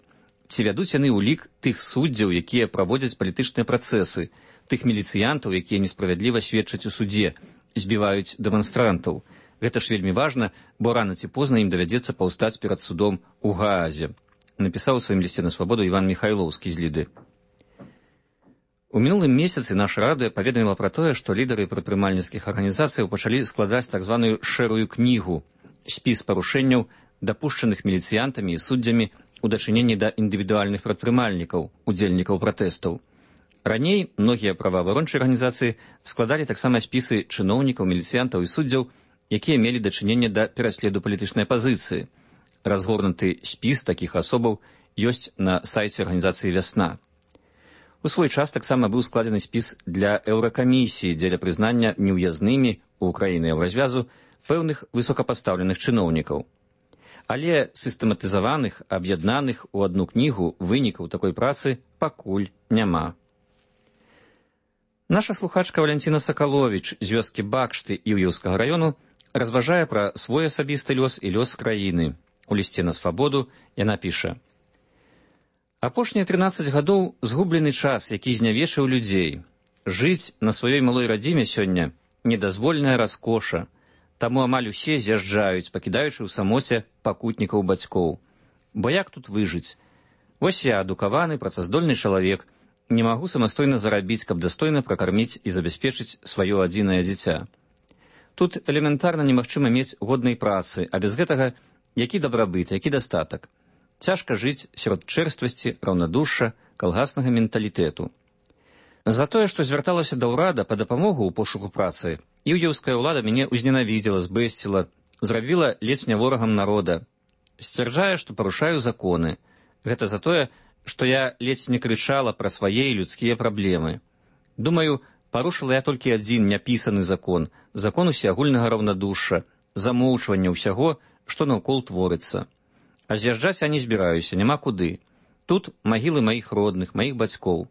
Ці вядуць яны ўлік тых суддзяў, якія праводзяць палітычныя працэсы, тых міліцыянтаў, якія несправядліва сведчаць у судзе, збіваюць дэманстрантаў. Гэта ж вельмі важна, бо рана ці позна ім давядзецца паўстаць перад судом у Гаазе, напісаў у сваім лісце на свабоду Іван Міхайлоўскі з Ліды. У мінулым месяцы наша радыё паведаміла пра тое, што лідары прадпрымальніцкіх арганізацыяў пачалі складаць так званую шэрую кнігу, спіс парушэнняў, дапушчаных міліцыянтамі і суддзямі у дачыненні да індывідуальных прадпрымальнікаў, удзельнікаў пратэстаў. Раней многія праваабарончыя арганізацыі складалі таксама спісы чыноўнікаў, міліцыянтаў і суддзяў, якія мелі дачыненне да пераследу палітычнай апазіцыі. Разгорнуты спіс такіх асобаў ёсць на сайце арганізацыі «Вясна». У свой час таксама быў складзены спіс для Еўракамісіі дзеля прызнання неўязнымі ў краіны Еўразвязу пэўных высокапастаўленых чыноўнікаў. Але сістэматызаваных, аб'яднаных у адну кнігу вынікаў такой працы пакуль няма. Наша слухачка Валянціна Сакаловіч з вёскі Бакшты Іўеўскага раёну разважае пра свой асабісты лёс і лёс краіны. У лісце на свабоду яна піша: «Апошнія 13 гадоў згублены час, які знявечыў людзей. Жыць на сваёй малой радзіме сёння недазвольная раскоша, таму амаль усе з'язджаюць, пакідаючы ў самоце пакутнікаў бацькоў. Бо як тут выжыць? Вось я, адукаваны, працаздольны чалавек, не магу самастойна зарабіць, каб дастойна пракарміць і забяспечыць сваё адзінае дзіця. Тут элементарна немагчыма мець годнай працы, а без гэтага які дабрабыт, які дастатак. Цяжка жыць сярод чэрствасці, раўнадушша, калгаснага менталітэту. За тое, што звярталася да ўрада па дапамогу ў пошуку працы, іўеўская ўлада мяне ўзненавідзела, збэсціла, зрабіла ледзь не ворагам народа. Сцвярджае, што парушаю законы. Гэта за тое, што я ледзь не крычала пра свае людскія праблемы. Думаю, парушыла я толькі адзін няпісаны закон, закон усеагульнага раўнадушша, замоўчвання ўсяго, што наўкол творыцца. А з'язджаць я не збіраюся, няма куды. Тут магілы маіх родных, маіх бацькоў.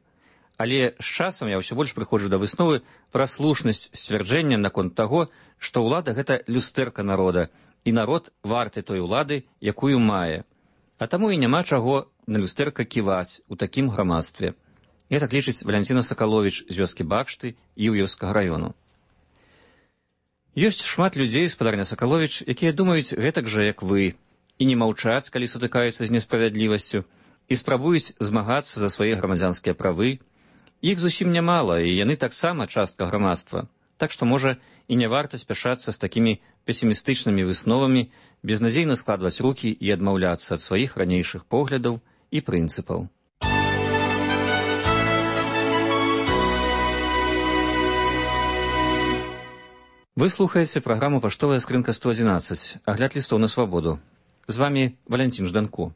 Але з часам я ўсё больш прыходжу да высновы пра слушнасць сцвярджэння наконт таго, што ўлада — гэта люстэрка народа, і народ варты той улады, якую мае. А таму і няма чаго на люстэрка ківаць у такім грамадстве. Я так лічыць Валянціна Сакаловіч з вёскі Бакшты Іўеўскага раёну. Ёсць шмат людзей, спадарня Сакаловіч, якія думаюць гэтак жа, як вы, і не маўчаць, калі сутыкаюцца з несправядлівасцю, і спрабуюць змагацца за свае грамадзянскія правы. Іх зусім нямала, і яны таксама частка грамадства. Так што, можа, і не варта спяшацца з такімі песімістычнымі высновамі, безнадзейна складваць рукі і адмаўляцца ад сваіх ранейшых поглядаў і прынцыпаў. Вы слухаеце праграму «Паштовая скрынка 111», агляд лістоў на свабоду. З вами Валянцін Жданко.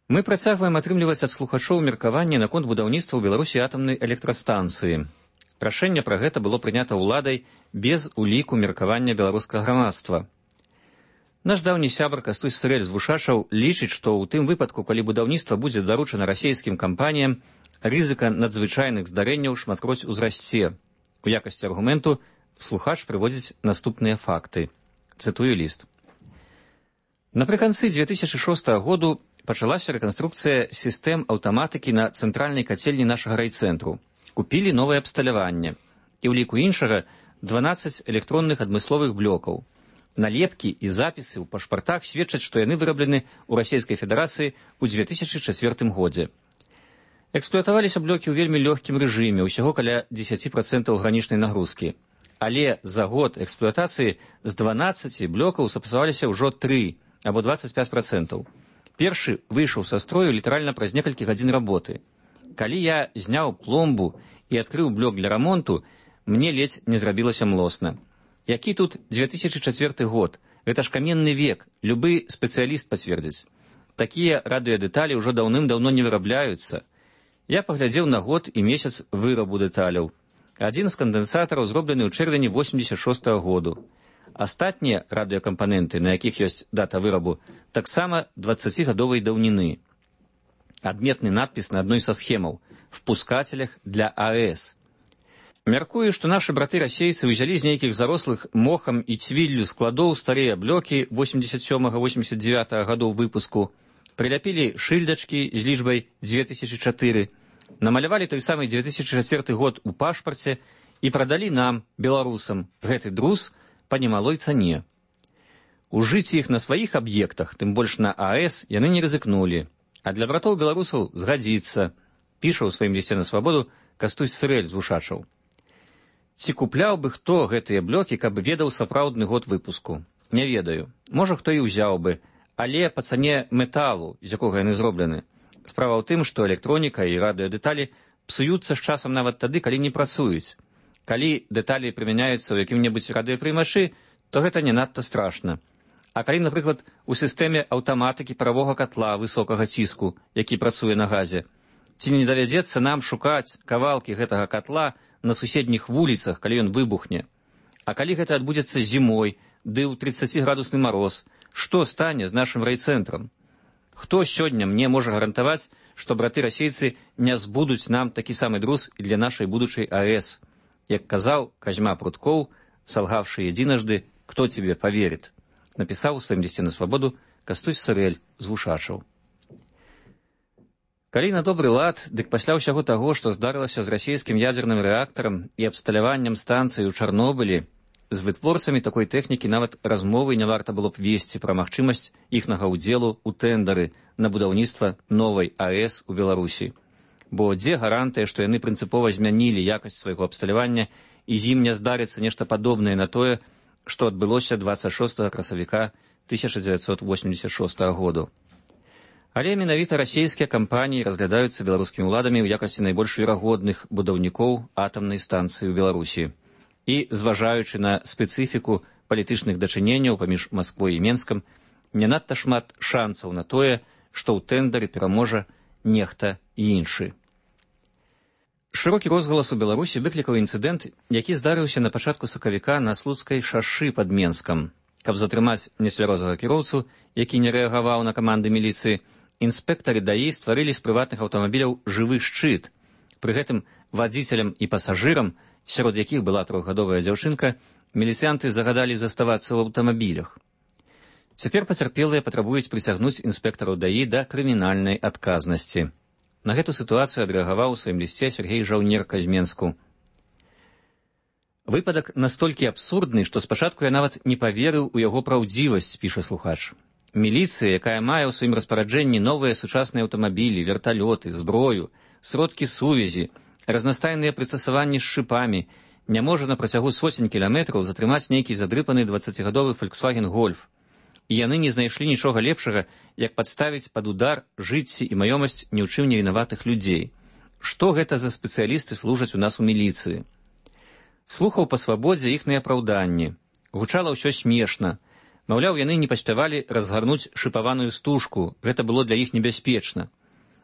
Мы працягваем атрымліваць ад слухачоў меркаванне наконт будаўніцтва ў Беларусі атамнай электрастанцыі. Рашэнне пра гэта было прынята ўладай без уліку меркавання беларускага грамадства. Наш даўні сябар Кастусь Сырэль з Вушачаў лічыць, што ў тым выпадку, калі будаўніцтва будзе даручана расійскім кампаніям, рызыка надзвычайных здарэнняў шматкроць узрасце. У якасці аргументу слухач прыводзіць наступныя факты. Цытую ліст. Напрыканцы 2006 году пачалася рэканструкцыя сістэм аўтаматыкі на цэнтральнай кацельні нашага райцэнтру. Купілі новае абсталяванне. І ў ліку іншага 12 электронных адмысловых блокаў. Налепкі і запісы ў пашпартах сведчаць, што яны выраблены ў Расійскай Федэрацыі ў 2004 годзе. Эксплуатаваліся блокі ў вельмі лёгкім рэжыме, усяго каля 10% гранічнай нагрузкі. Але за год эксплуатацыі з 12 блокаў сапсаваліся ўжо 3 або 25%. Першы выйшаў са строю літаральна праз некалькі гадзін работы. Калі я зняў пломбу і адкрыў блок для рамонту, мне ледзь не зрабілася млосна. Які тут 2004 год? Гэта ж каменны век, любы спецыяліст пацвердзіць. Такія радыёдэталі ўжо даўным-даўно не вырабляюцца. Я паглядзеў на год і месяц вырабу дэталяў. Адзін з кандэнсатараў зроблены ў чэрвені 86 году. Астатнія радыёкампаненты, на якіх ёсць дата вырабу, таксама 20-гадовай даўніны. Адметны надпіс на адной са схемаў. в пускателях для АЭС. Мяркую, што нашы браты-расейцы ўзялі з нейкіх зарослых мохам і цвіллю складоў старыя блокі 87-89 гадоў выпуску, прыляпілі шыльдачкі з лічбай 2004, намалявалі той самы 2004 год у пашпарце і прадалі нам, беларусам, гэты друз па немалой цане. Ужыць іх на сваіх аб'ектах, тым больш на АЭС, яны не рызыкнулі, а для братоў-беларусаў згадзіцца, піша ў сваім лісце на свабоду Кастусь Сырэль з Вушачаў. Ці купляў бы хто гэтыя блокі, каб ведаў сапраўдны год выпуску? Не ведаю. Можа, хто і ўзяў бы, але па цане металу, з якога яны зроблены. Справа ў тым, што электроніка і радыёдэталі псуюцца з часам нават тады, калі не працуюць. Калі дэталі прымяняюцца ў якім-небудзь радыёпрымачы, то гэта не надта страшна. А калі, напрыклад, у сістэме аўтаматыкі паравога катла высокага ціску, які працуе на газе, ці не давядзецца нам шукаць кавалкі гэтага катла на суседніх вуліцах, калі ён выбухне? А калі гэта адбудзецца зімой, ды ў 30-градусны мароз, што стане з нашым райцэнтрам? Хто сёння мне можа гарантаваць, што браты-расейцы не збудуць нам такі самы друз і для нашай будучай АЭС? Як казаў Казьма Пруткоў, салгавшы единожды, кто тебе поверит? Напісаў у сваім лісце на свабоду Кастусь Сырэль з Вушачаў. Калі на добры лад, дык пасля ўсяго таго, што здарылася з расійскім ядзерным рэактарам і абсталяваннем станцыі ў Чарнобылі, з вытворцамі такой тэхнікі нават размовы не варта было б весці пра магчымасць іхнага ўдзелу ў тэндары на будаўніцтва новай АЭС у Беларусі. Бо дзе гарантыя, што яны прынцыпова змянілі якасць свайго абсталявання і з ім не здарыцца нешта падобнае на тое, што адбылося 26 красавіка 1986 году. Але менавіта расійскія кампаніі разглядаюцца беларускімі ўладамі ў якасці найбольш верагодных будаўнікоў атамнай станцыі ў Беларусі. І, зважаючы на спецыфіку палітычных дачыненняў паміж Масквой і Менскам, не надта шмат шанцаў на тое, што ў тэндары пераможа нехта іншы. Шырокі розгалас у Беларусі выклікаў інцыдэнт, які здарыўся на пачатку сакавіка на Слуцкай шашы пад Менскам. Каб затрымаць нецвярозага кіроўцу, які не рэагаваў на каманды міліцыі, інспектары ДАІ стварылі з прыватных аўтамабіляў жывы шчыт. Пры гэтым вадзіцелям і пасажырам, сярод якіх была 3гадовая дзяўчынка, міліцыянты загадалі заставацца ў аўтамабілях. Цяпер пацярпелыя патрабуюць прыцягнуць інспектараў ДАІ да крымінальнай адказнасці. На гэту сітуацыю адрэагаваў у сваім лісце Сергей Жаўнерка з Менску. Выпадак настолькі абсурдны, што спачатку я нават не паверыў у яго праўдзівасць, піша слухач. Міліцыя, якая мае ў сваім распараджэнні новыя сучасныя аўтамабілі, верталёты, зброю, сродкі сувязі, разнастайныя прыстасаванні з шыпамі, не можа на працягу сотень кіламетраў затрымаць нейкі задрыпаны 20гадовы Volkswagen Golf. І яны не знайшлі нічога лепшага, як падставіць пад удар жыцці і маёмасць ні ў чым не вінаватых людзей. Што гэта за спецыялісты служаць у нас у міліцыі? Слухаў па свабодзе іхныя апраўданні. Гучала ўсё смешна. Маўляў, яны не паспявалі разгарнуць шыпаваную стужку, гэта было для іх небяспечна.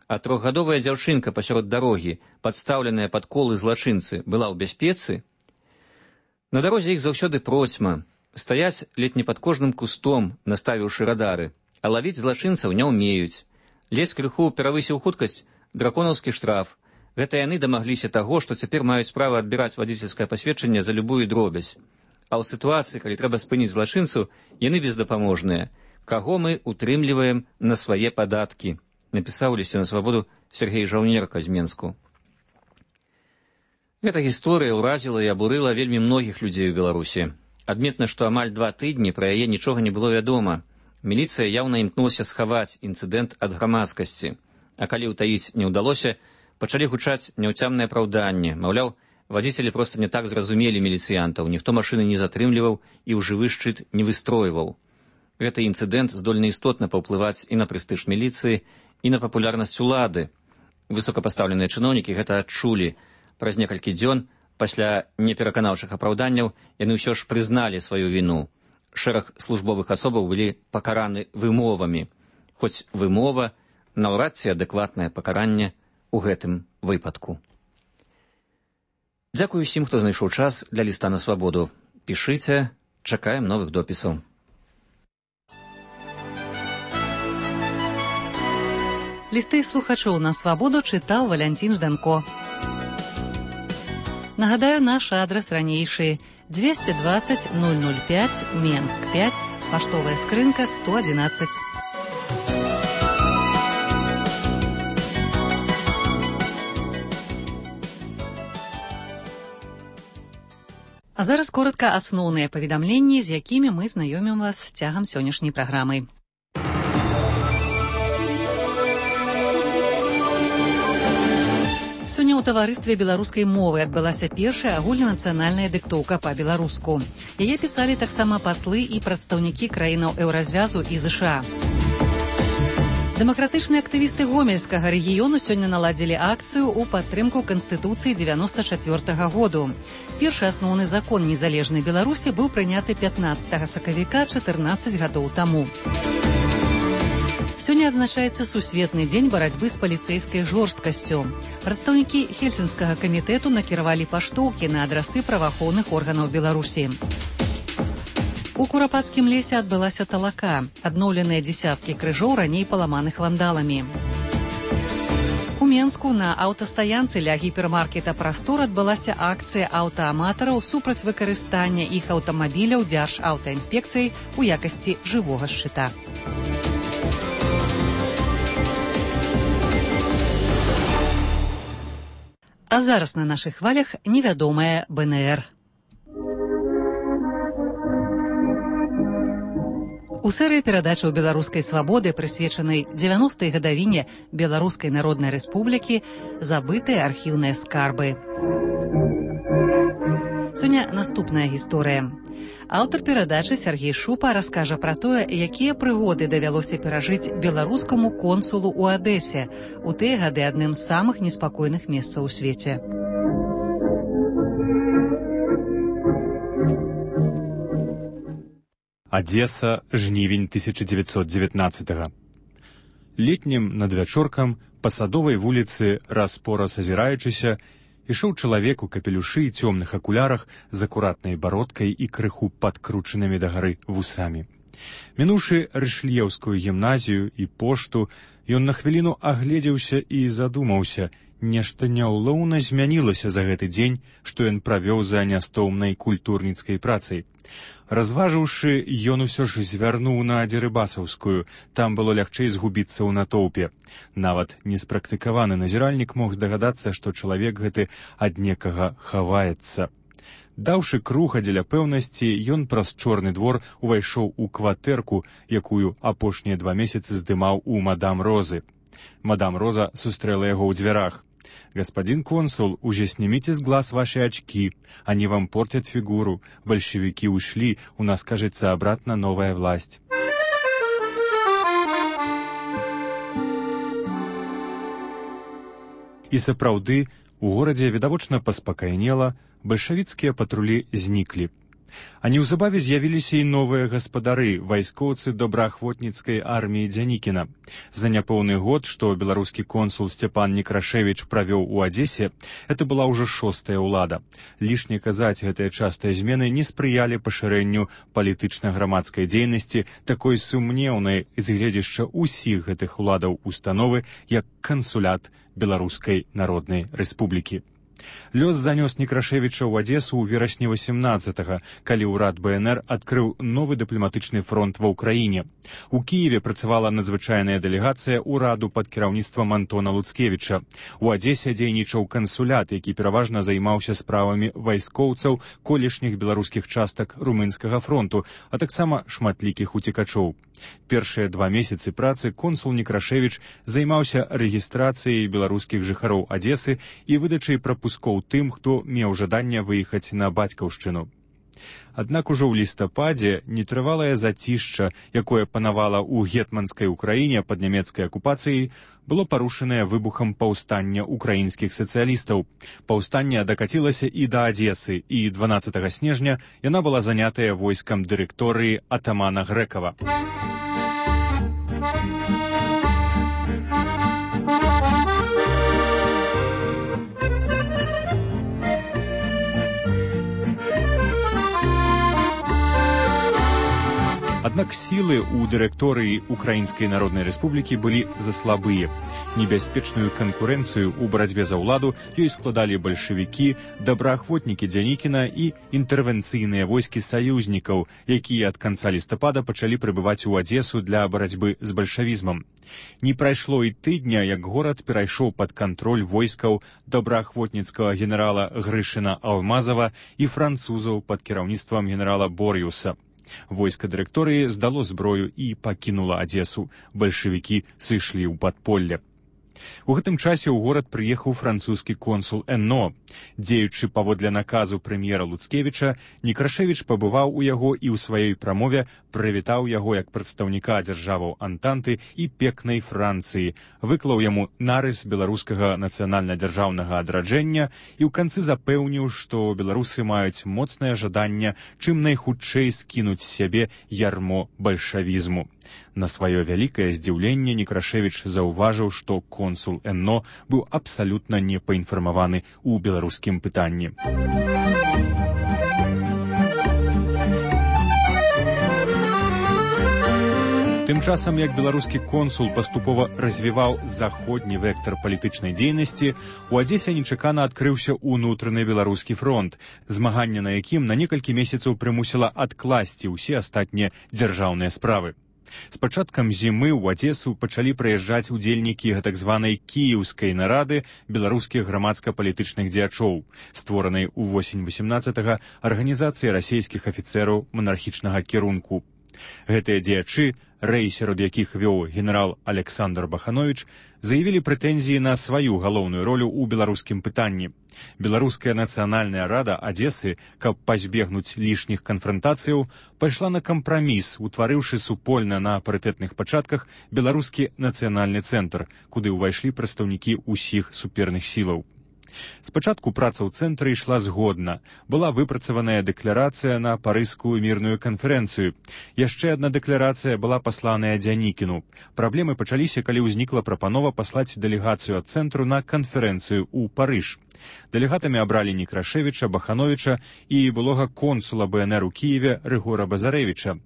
А 3гадовая дзяўчынка пасярод дарогі, падстаўленая пад колы злачынцы, была ў бяспецы? На дарозе іх заўсёды процьма. Стаяць ледь не пад кожным кустом, наставіўшы радары, а лавіць злачынцаў не ўмеюць. Ледзь крыху перавысіў хуткасць, драконаўскі штраф. Гэта яны дамагліся таго, што цяпер маюць права адбіраць вадзіцельскае пасведчанне за любую дробязь. А ў сітуацыі, калі трэба спыніць злачынцу, яны бездапаможныя. Каго мы утрымліваем на свае падаткі? Напісаў лісце на свабоду Сергей Жаўнерка з Менску. Гэта гісторыя ўразіла і абурыла вельмі многіх людзей у Беларусі. Адметна, што амаль 2 тыдні пра яе нічога не было вядома. Міліцыя яўна імкнулася схаваць інцыдэнт ад грамадскасці. А калі ўтаіць не ўдалося, пачалі гучаць няўцямныя апраўданні. Маўляў, вадзіцелі проста не так зразумелі міліцыянтаў, ніхто машыны не затрымліваў і ў жывы шчыт не выстройваў. Гэты інцыдэнт здольны істотна паўплываць і на прэстыж міліцыі, і на папулярнасць улады. Высокапастаўленыя чыноўнікі гэта адчулі. Праз некалькі дзён пасля непераканаўчых апраўданняў яны ўсё ж прызналі сваю віну. Шэраг службовых асобаў былі пакараны вымовамі. Хоць вымова наўрад ці адэкватнае пакаранне ў гэтым выпадку. Дзякую усім, хто знайшоў час для ліста на свабоду. Пішыце, чакаем новых допісаў. Лісты слухачоў на свабоду чытаў Валянцін Жданко. Нагадаю, наш адрас ранейшы 220 005 Менск 5, паштовая скрынка 111. А зараз коротка асноўныя паведамленні, з якімі мы знаёмім вас цягам сённяшняй праграмы. Сёння ў таварыстве беларускай мовы адбылася першая агульнанацыянальная дыктоўка па-беларуску. Яе пісалі таксама паслы і прадстаўнікі краінаў еўразвязу і ЗША. Дэмакратычныя актывісты гомельскага рэгіёну сёння наладзілі акцыю ў падтрымку Канстытуцыі 94-го году. Першы асноўны закон незалежнай Беларусі быў прыняты 15 сакавіка 14 гадоў таму. Сёння адзначаецца сусветны дзень барацьбы з паліцэйскай жорсткасцю. Прадстаўнікі Хельсінскага камітэту накіравалі паштоўкі на адрасы праваахоўных органаў Беларусі. У Курапацкім лесе адбылася талака, адноўленыя дзесяткі крыжоў раней паламаных вандаламі. У Менску на аўтастаянцы ля гіпермаркета «Прастор» адбылася акцыя аўтааматараў супраць выкарыстання іх аўтамабіляў Дзяржаўтаінспекцыяй у якасці жывога шчыта. А зараз на нашых хвалях невядомая БНР. У серыі перадачаў беларускай свабоды, прысвечанай 90-й гадавіне Беларускай Народнай Рэспублікі, забытыя архіўныя скарбы. Сёння наступная гісторыя. Аўтар перадачы Сергей Шупа раскажа пра тое, якія прыгоды давялося перажыць беларускаму консулу ў Адэсе, у тыя гады адным з самых неспакойных месцаў у свеце. Адеса, жнівень 1919-го. Летнім надвячоркам па Садовай вуліцы, раз-пораз азіраючыся, ішоў чалавек у капелюшы і цёмных акулярах з акуратнай бародкай і крыху падкручанымі дагары вусамі. Мінуўшы Рышлеўскую гімназію і пошту, ён на хвіліну агледзеўся і задумаўся, нешта няўлоўна змянілася за гэты дзень, што ён правёў за нястомнай культурніцкай працай. Разважыўшы, ён усё ж звярнуў на Дзерыбасаўскую, там было лягчэй згубіцца ў натоўпе. Нават неспрактыкаваны назіральнік мог здагадацца, што чалавек гэты ад некага хаваецца. Даўшы круга дзеля пэўнасці, ён праз чорны двор увайшоў у кватэрку, якую апошнія 2 месяцы здымаў у мадам Розы. Мадам Роза сустрэла яго ў дзвярах. «Господин консул, уже снимите с глаз ваши очки. Они вам портят фигуру. Большевики ушли, у нас, кажется, обратно новая власть». І сапраўды, у горадзе відавочна паспакайнела, бальшавіцкія патрулі зніклі. А неўзабаве з'явіліся і новыя гаспадары, вайскоўцы добраахвотніцкай арміі Дзянікіна. За няпоўны год, што беларускі консул Сцяпан Некрашевіч правёў у Адзесе, это была ўжо 6-я ўлада. Лішне казаць, гэтыя частыя змены не спрыялі пашырэнню палітычна-грамадскай дзейнасці, такой сумнеўнай з гледзяшча ўсіх гэтых уладаў установы, як кансулят Беларускай Народнай Рэспублікі. Лёс занёс Некрашевіча ў Адесу ў верасні 18-го, калі ўрад БНР адкрыў новы дыпламатычны фронт ва ўкраіне. У Кіеве працавала надзвычайная дэлегацыя ўраду пад кіраўніцтвам Антона Луцкевіча. У Адесе дзейнічаў кансулят, які пераважна займаўся справамі вайскоўцаў колішніх беларускіх частак румынскага фронту, а таксама шматлікіх уцекачоў. Першыя 2 месяцы працы консул Некрашевіч займаўся рэгістрацыяй беларускіх жыхароў Адесы і выдачай прапускоў тым, хто меў жаданне выехаць на бацькаўшчыну. Аднак ужо ў лістападзе нетрывалае зацішча, якое панавала ў гетманскай Украіне пад нямецкай акупацыяй, было парушанае выбухам паўстання украінскіх сацыялістаў. Паўстанне дакацілася і да Адзесы, і 12 снежня яна была занятая войскам дырэкторыі атамана Грэкава. Аднак сілы ў дырэкторыі Украінскай Народнай Рэспублікі былі заслабыя. Небяспечную канкурэнцыю ў барацьбе за ўладу ёй складалі бальшавікі, добраахвотнікі Дзянікіна і інтэрвенцыйныя войскі саюзнікаў, якія ад канца лістапада пачалі прыбываць у Адесу для барацьбы з бальшавізмам. Не прайшло і тыдня, як горад перайшоў пад кантроль войскаў добраахвотніцкага генерала Грышына Алмазава і французаў пад кіраўніцтвам генерала Бор'юса. Войска дырэкторыі здало зброю і пакінула Адесу. Бальшавікі сышлі ў падполле. У гэтым часе ў горад прыехаў французскі консул Энно. Дзеючы паводле наказу прэм'ера Луцкевіча, Некрашевіч пабываў у яго і ў сваёй прамове прывітаў яго як прадстаўніка дзяржаваў Антанты і пекнай Францыі, выклаў яму нарыс беларускага нацыянальна-дзяржаўнага адраджэння і ў канцы запэўніў, што беларусы маюць моцнае жаданне чым найхутчэй скінуць з сябе ярмо бальшавізму. На сваё вялікае здзіўленне Некрашевіч заўважыў, што консул Энно быў абсалютна не паінфармаваны ў беларускім пытанні. Тым часам, як беларускі консул паступова развіваў заходні вектар палітычнай дзейнасці, у Адзесе нечакана адкрыўся ўнутраны беларускі фронт, змаганне на якім на некалькі месяцаў прымусіла адкласці ўсе астатнія дзяржаўныя справы. З пачаткам зімы ў Адесу пачалі прыязджаць удзельнікі гэтак званай кіеўскай нарады беларускіх грамадска-палітычных дзеячоў, створанай у восень 18-га арганізацыі расейскіх афіцэраў манархічнага кірунку. Гэтыя дзеячы, рэй сярод якіх вёў генерал Александр Баханович, заявілі прэтэнзіі на сваю галоўную ролю ў беларускім пытанні. Беларуская нацыянальная рада Адесы, каб пазбегнуць лішніх канфрантацыяў, пайшла на кампраміс, утварыўшы супольна на парытэтных пачатках беларускі нацыянальны цэнтр, куды ўвайшлі прадстаўнікі ўсіх суперных сілаў. Спачатку праца ў цэнтры ішла згодна. Была выпрацаваная дэкларацыя на парыжскую мірную канферэнцыю. Яшчэ адна дэкларацыя была пасланая Дзянікіну. Праблемы пачаліся, калі ўзнікла прапанова паслаць дэлегацыю ад цэнтру на канферэнцыю ў Парыж. Дэлегатамі абралі Некрашевіча, Бахановича і былога консула БНР у Кіеве Рыгора Базарэвіча.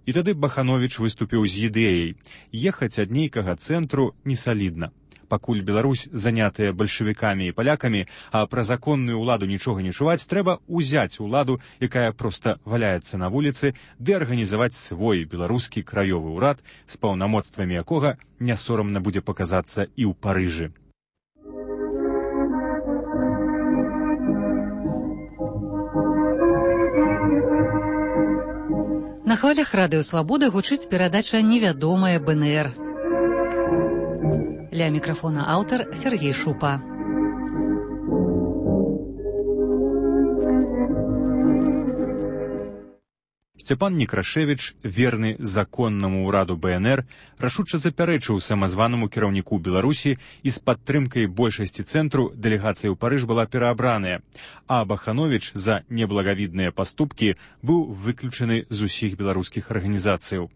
І тады Баханович выступіў з ідэяй: ехаць ад нейкага цэнтру несалідна. Пакуль Беларусь занятая бальшавікамі і палякамі, а пра законную ўладу нічога не чуваць, трэба ўзяць уладу, якая проста валяецца на вуліцы, ды арганізаваць свой беларускі краёвы ўрад, з паўнамоцтвамі якога не сорамна будзе паказацца і ў Парыжы. На хвалях радыё Свабода гучыць перадача «Невядомая БНР». Ля мікрафона аўтар Сергей Шупа. Сцяпан Некрашевіч, верны законнаму ўраду БНР, рашуча запярэчыў самазванаму кіраўніку Беларусі, і з падтрымкай большасці цэнтру дэлегацыя ў Парыж была пераабраная, а Баханович за неблагавідныя паступкі быў выключаны з усіх беларускіх арганізацыяў.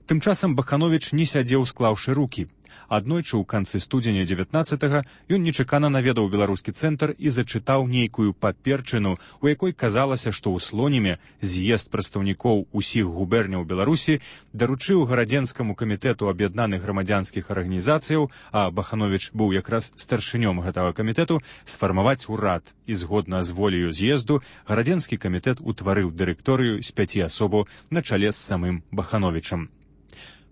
Тым часам Баханович не сядзеў, склаўшы рукі. Аднойчы ў канцы студзеня 19-га ён нечакана наведаў беларускі цэнтр і зачытаў нейкую паперчыну, у якой казалася, што ў Слоніме з'езд прадстаўнікоў усіх губерняў Беларусі даручыў гарадзенскаму камітэту аб'яднаных грамадзянскіх арганізацыяў, а Баханович быў якраз старшынём гэтага камітэту, сфармаваць урад, і згодна з воляю з'езду гарадзенскі камітэт утварыў дырэкторыю з 5 асобаў на чале з самым Бахановичам.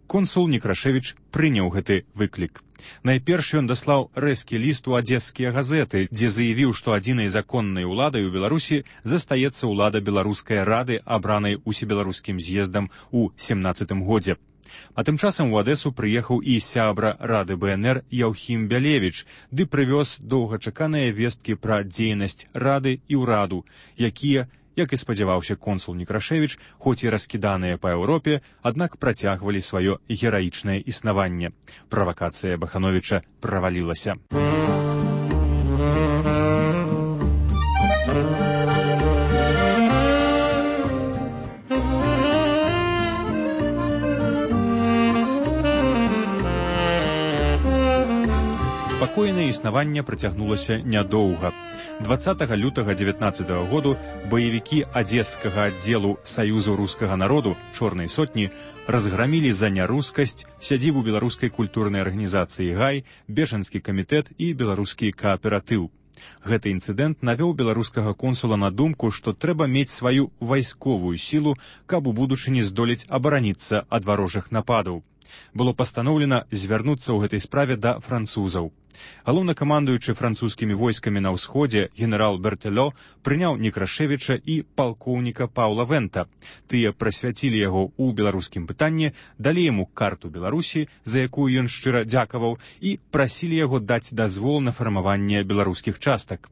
Консул Некрашевіч прыняў гэты выклік. Найперш ён даслаў рэзкі ліст у адзескія газеты, дзе заявіў, што адзінай законнай уладай у Беларусі застаецца ўлада беларускай рады, абранай усебеларускім з'ездам у 17-м годзе. А тым часам у Адэсу прыехаў і сябра рады БНР Яўхім Бялевіч, ды прывёз доўгачаканыя весткі пра дзейнасць рады і ўраду, якія, як і спадзяваўся консул Некрашевіч, хоць і раскіданыя па Еўропе, аднак працягвалі сваё гераічнае існаванне. Правакацыя Бахановича правалілася. Спакойнае існаванне працягнулася нядоўга. 20 лютага 19 году баевікі адзескага аддзелу Саюзу рускага народу «Чорнай сотні» разграмілі за нярускасць сядзібу беларускай культурнай арганізацыі «Гай», бежанскі камітэт і беларускі кааператыў. Гэты інцыдэнт навёў беларускага консула на думку, што трэба мець сваю вайсковую сілу, каб у будучыні здолець абараніцца ад варожых нападаў. Было пастаноўлена звярнуцца ў гэтай справе да французаў. Галоўнакамандуючы французскімі войскамі на ўсходзе генерал Бертэлё прыняў Некрашевіча і палкоўніка Паўла Вента. Тыя прасвяцілі яго ў беларускім пытанні, далі яму карту Беларусі, за якую ён шчыра дзякаваў, і прасілі яго даць дазвол на фармаванне беларускіх частак.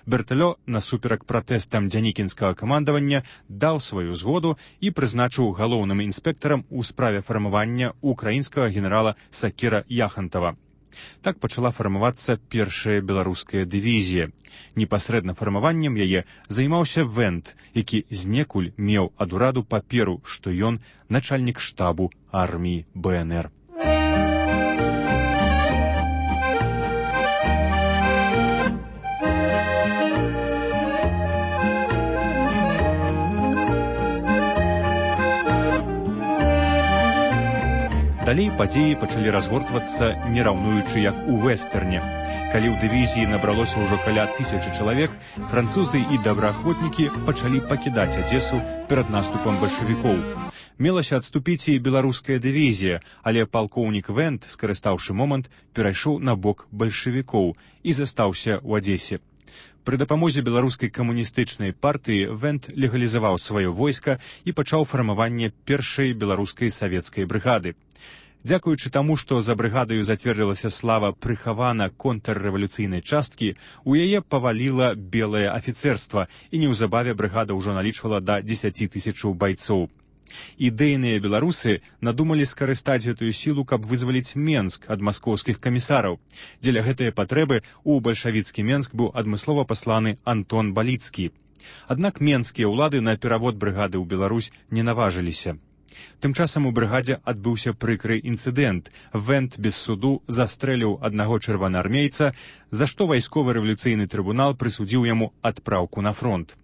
Бертэлё, насуперак пратэстам дзянікінскага камандавання, даў сваю згоду і прызначыў галоўным інспектарам у справе фармавання украінскага генерала Сакера Яхантава. Так пачала фармавацца першая беларуская дывізія. Непасрэдна фармаваннем яе займаўся Вент, які знекуль меў ад ураду паперу, што ён начальнік штабу арміі БНР. Далей падзеі пачалі разгортвацца, не раўнуючы як у вэстэрне. Калі ў дывізіі набралося ўжо каля 1000 чалавек, французы і добраахвотнікі пачалі пакідаць Адзесу перад наступам бальшавікоў. Мелася адступіць і беларуская дывізія, але палкоўнік Вент, скарыстаўшы момант, перайшоў на бок бальшавікоў і застаўся ў Адзесе. Пры дапамозе беларускай камуністычнай партыі Вент легалізаваў сваё войска і пачаў фармаванне першай беларускай савецкай брыгады. Дзякуючы таму, што за брыгадаю зацвердзілася слава прыхавана контррэвалюцыйнай часткі, у яе паваліла белае афіцэрства, і неўзабаве брыгада ўжо налічвала да 10 000 байцоў. Ідэйныя беларусы надумалі скарыстаць гэтую сілу, каб вызваліць Менск ад маскоўскіх камісараў. Дзеля гэтай патрэбы ў бальшавіцкі Менск быў адмыслова пасланы Антон Баліцкі. Аднак менскія ўлады на перавод брыгады ў Беларусь не наважыліся. Тым часам у брыгадзе адбыўся прыкры інцыдэнт. Вент без суду застрэліў аднаго чырвонаармейца, за што вайсковы рэвалюцыйны трыбунал прысудзіў яму адпраўку на фронт.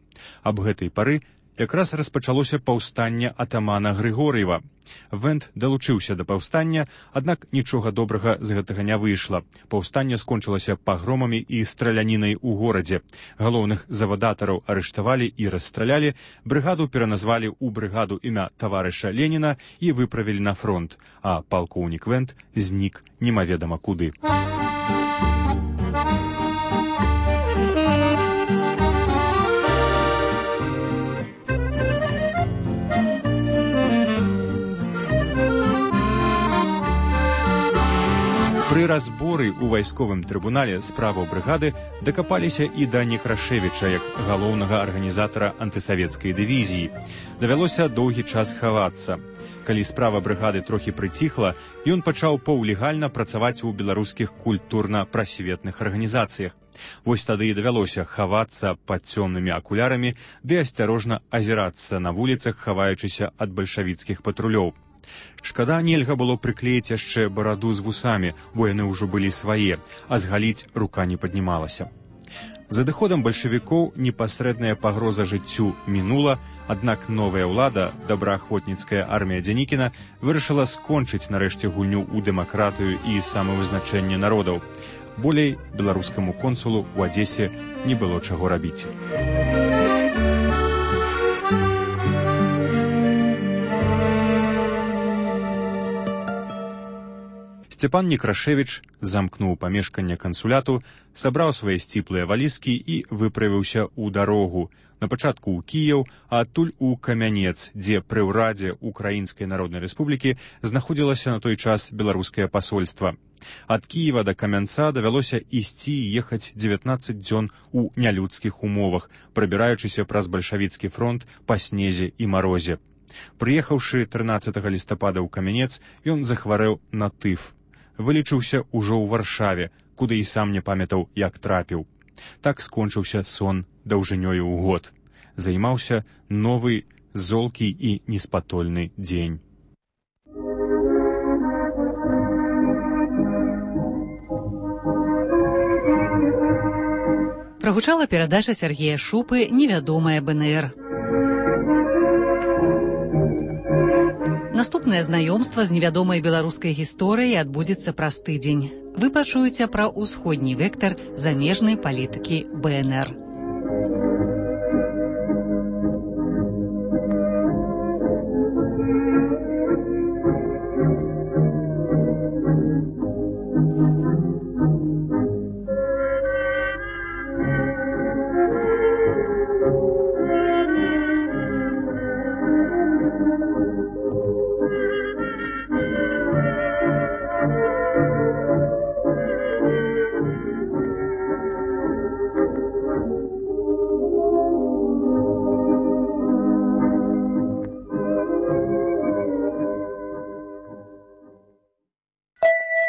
Аб гэтай пары якраз распачалося паўстанне атамана Грыгор'ева. Вент далучыўся да паўстання, аднак нічога добрага з гэтага не выйшла. Паўстанне скончылася пагромамі і стралянінай у горадзе. Галоўных завадатараў арыштавалі і расстралялі, брыгаду пераназвалі ў брыгаду імя таварыша Леніна і выправілі на фронт, а палкоўнік Вент знік немаведама куды. Пры разборы ў вайсковым трыбунале справаў брыгады дакапаліся і да Некрашевіча як галоўнага арганізатара антысавецкай дывізіі. Давялося доўгі час хавацца. Калі справа брыгады трохі прыціхла, ён пачаў паўлегальна працаваць у беларускіх культурна-прасветных арганізацыях. Вось тады і давялося хавацца пад цёмнымі акулярамі ды асцярожна азірацца на вуліцах, хаваючыся ад бальшавіцкіх патрулёў. Шкада, нельга было прыклеіць яшчэ бараду з вусамі, бо яны ўжо былі свае, а згаліць рука не паднімалася. За адыходам бальшавікоў непасрэдная пагроза жыццю мінула, аднак новая ўлада, добраахвотніцкая армія Дзянікіна, вырашыла скончыць нарэшце гульню ў дэмакратыю і самавызначэнне народаў. Болей беларускаму консулу ў Адзесе не было чаго рабіць. Сцепан Некрашевіч замкнуў памешканне кансуляту, сабраў свае сціплыя валізкі і выправіўся ў дарогу. На пачатку ў Кіеў, а адтуль у Камянец, дзе пры ўрадзе Украінскай Народнай Рэспублікі знаходзілася на той час беларускае пасольства. Ад Кіева да Камянца давялося ісці і ехаць 19 дзён у нялюдскіх умовах, прабіраючыся праз бальшавіцкі фронт па снезе і марозе. Прыехаўшы 13 лістапада ў Камянец, ён захварэў на тыф. Вылечыўся ўжо ў Варшаве, куды і сам не памятаў, як трапіў. Так скончыўся сон даўжынёю ў год. Займаўся новы, золкі і неспатольны дзень. Прагучала перадача Сергея Шупы «Невядомая БНР». Наступнае знаёмства з невядомай беларускай гісторыяй адбудзецца праз тыдзень. Вы пачуеце пра ўсходні вектар замежнай палітыкі БНР.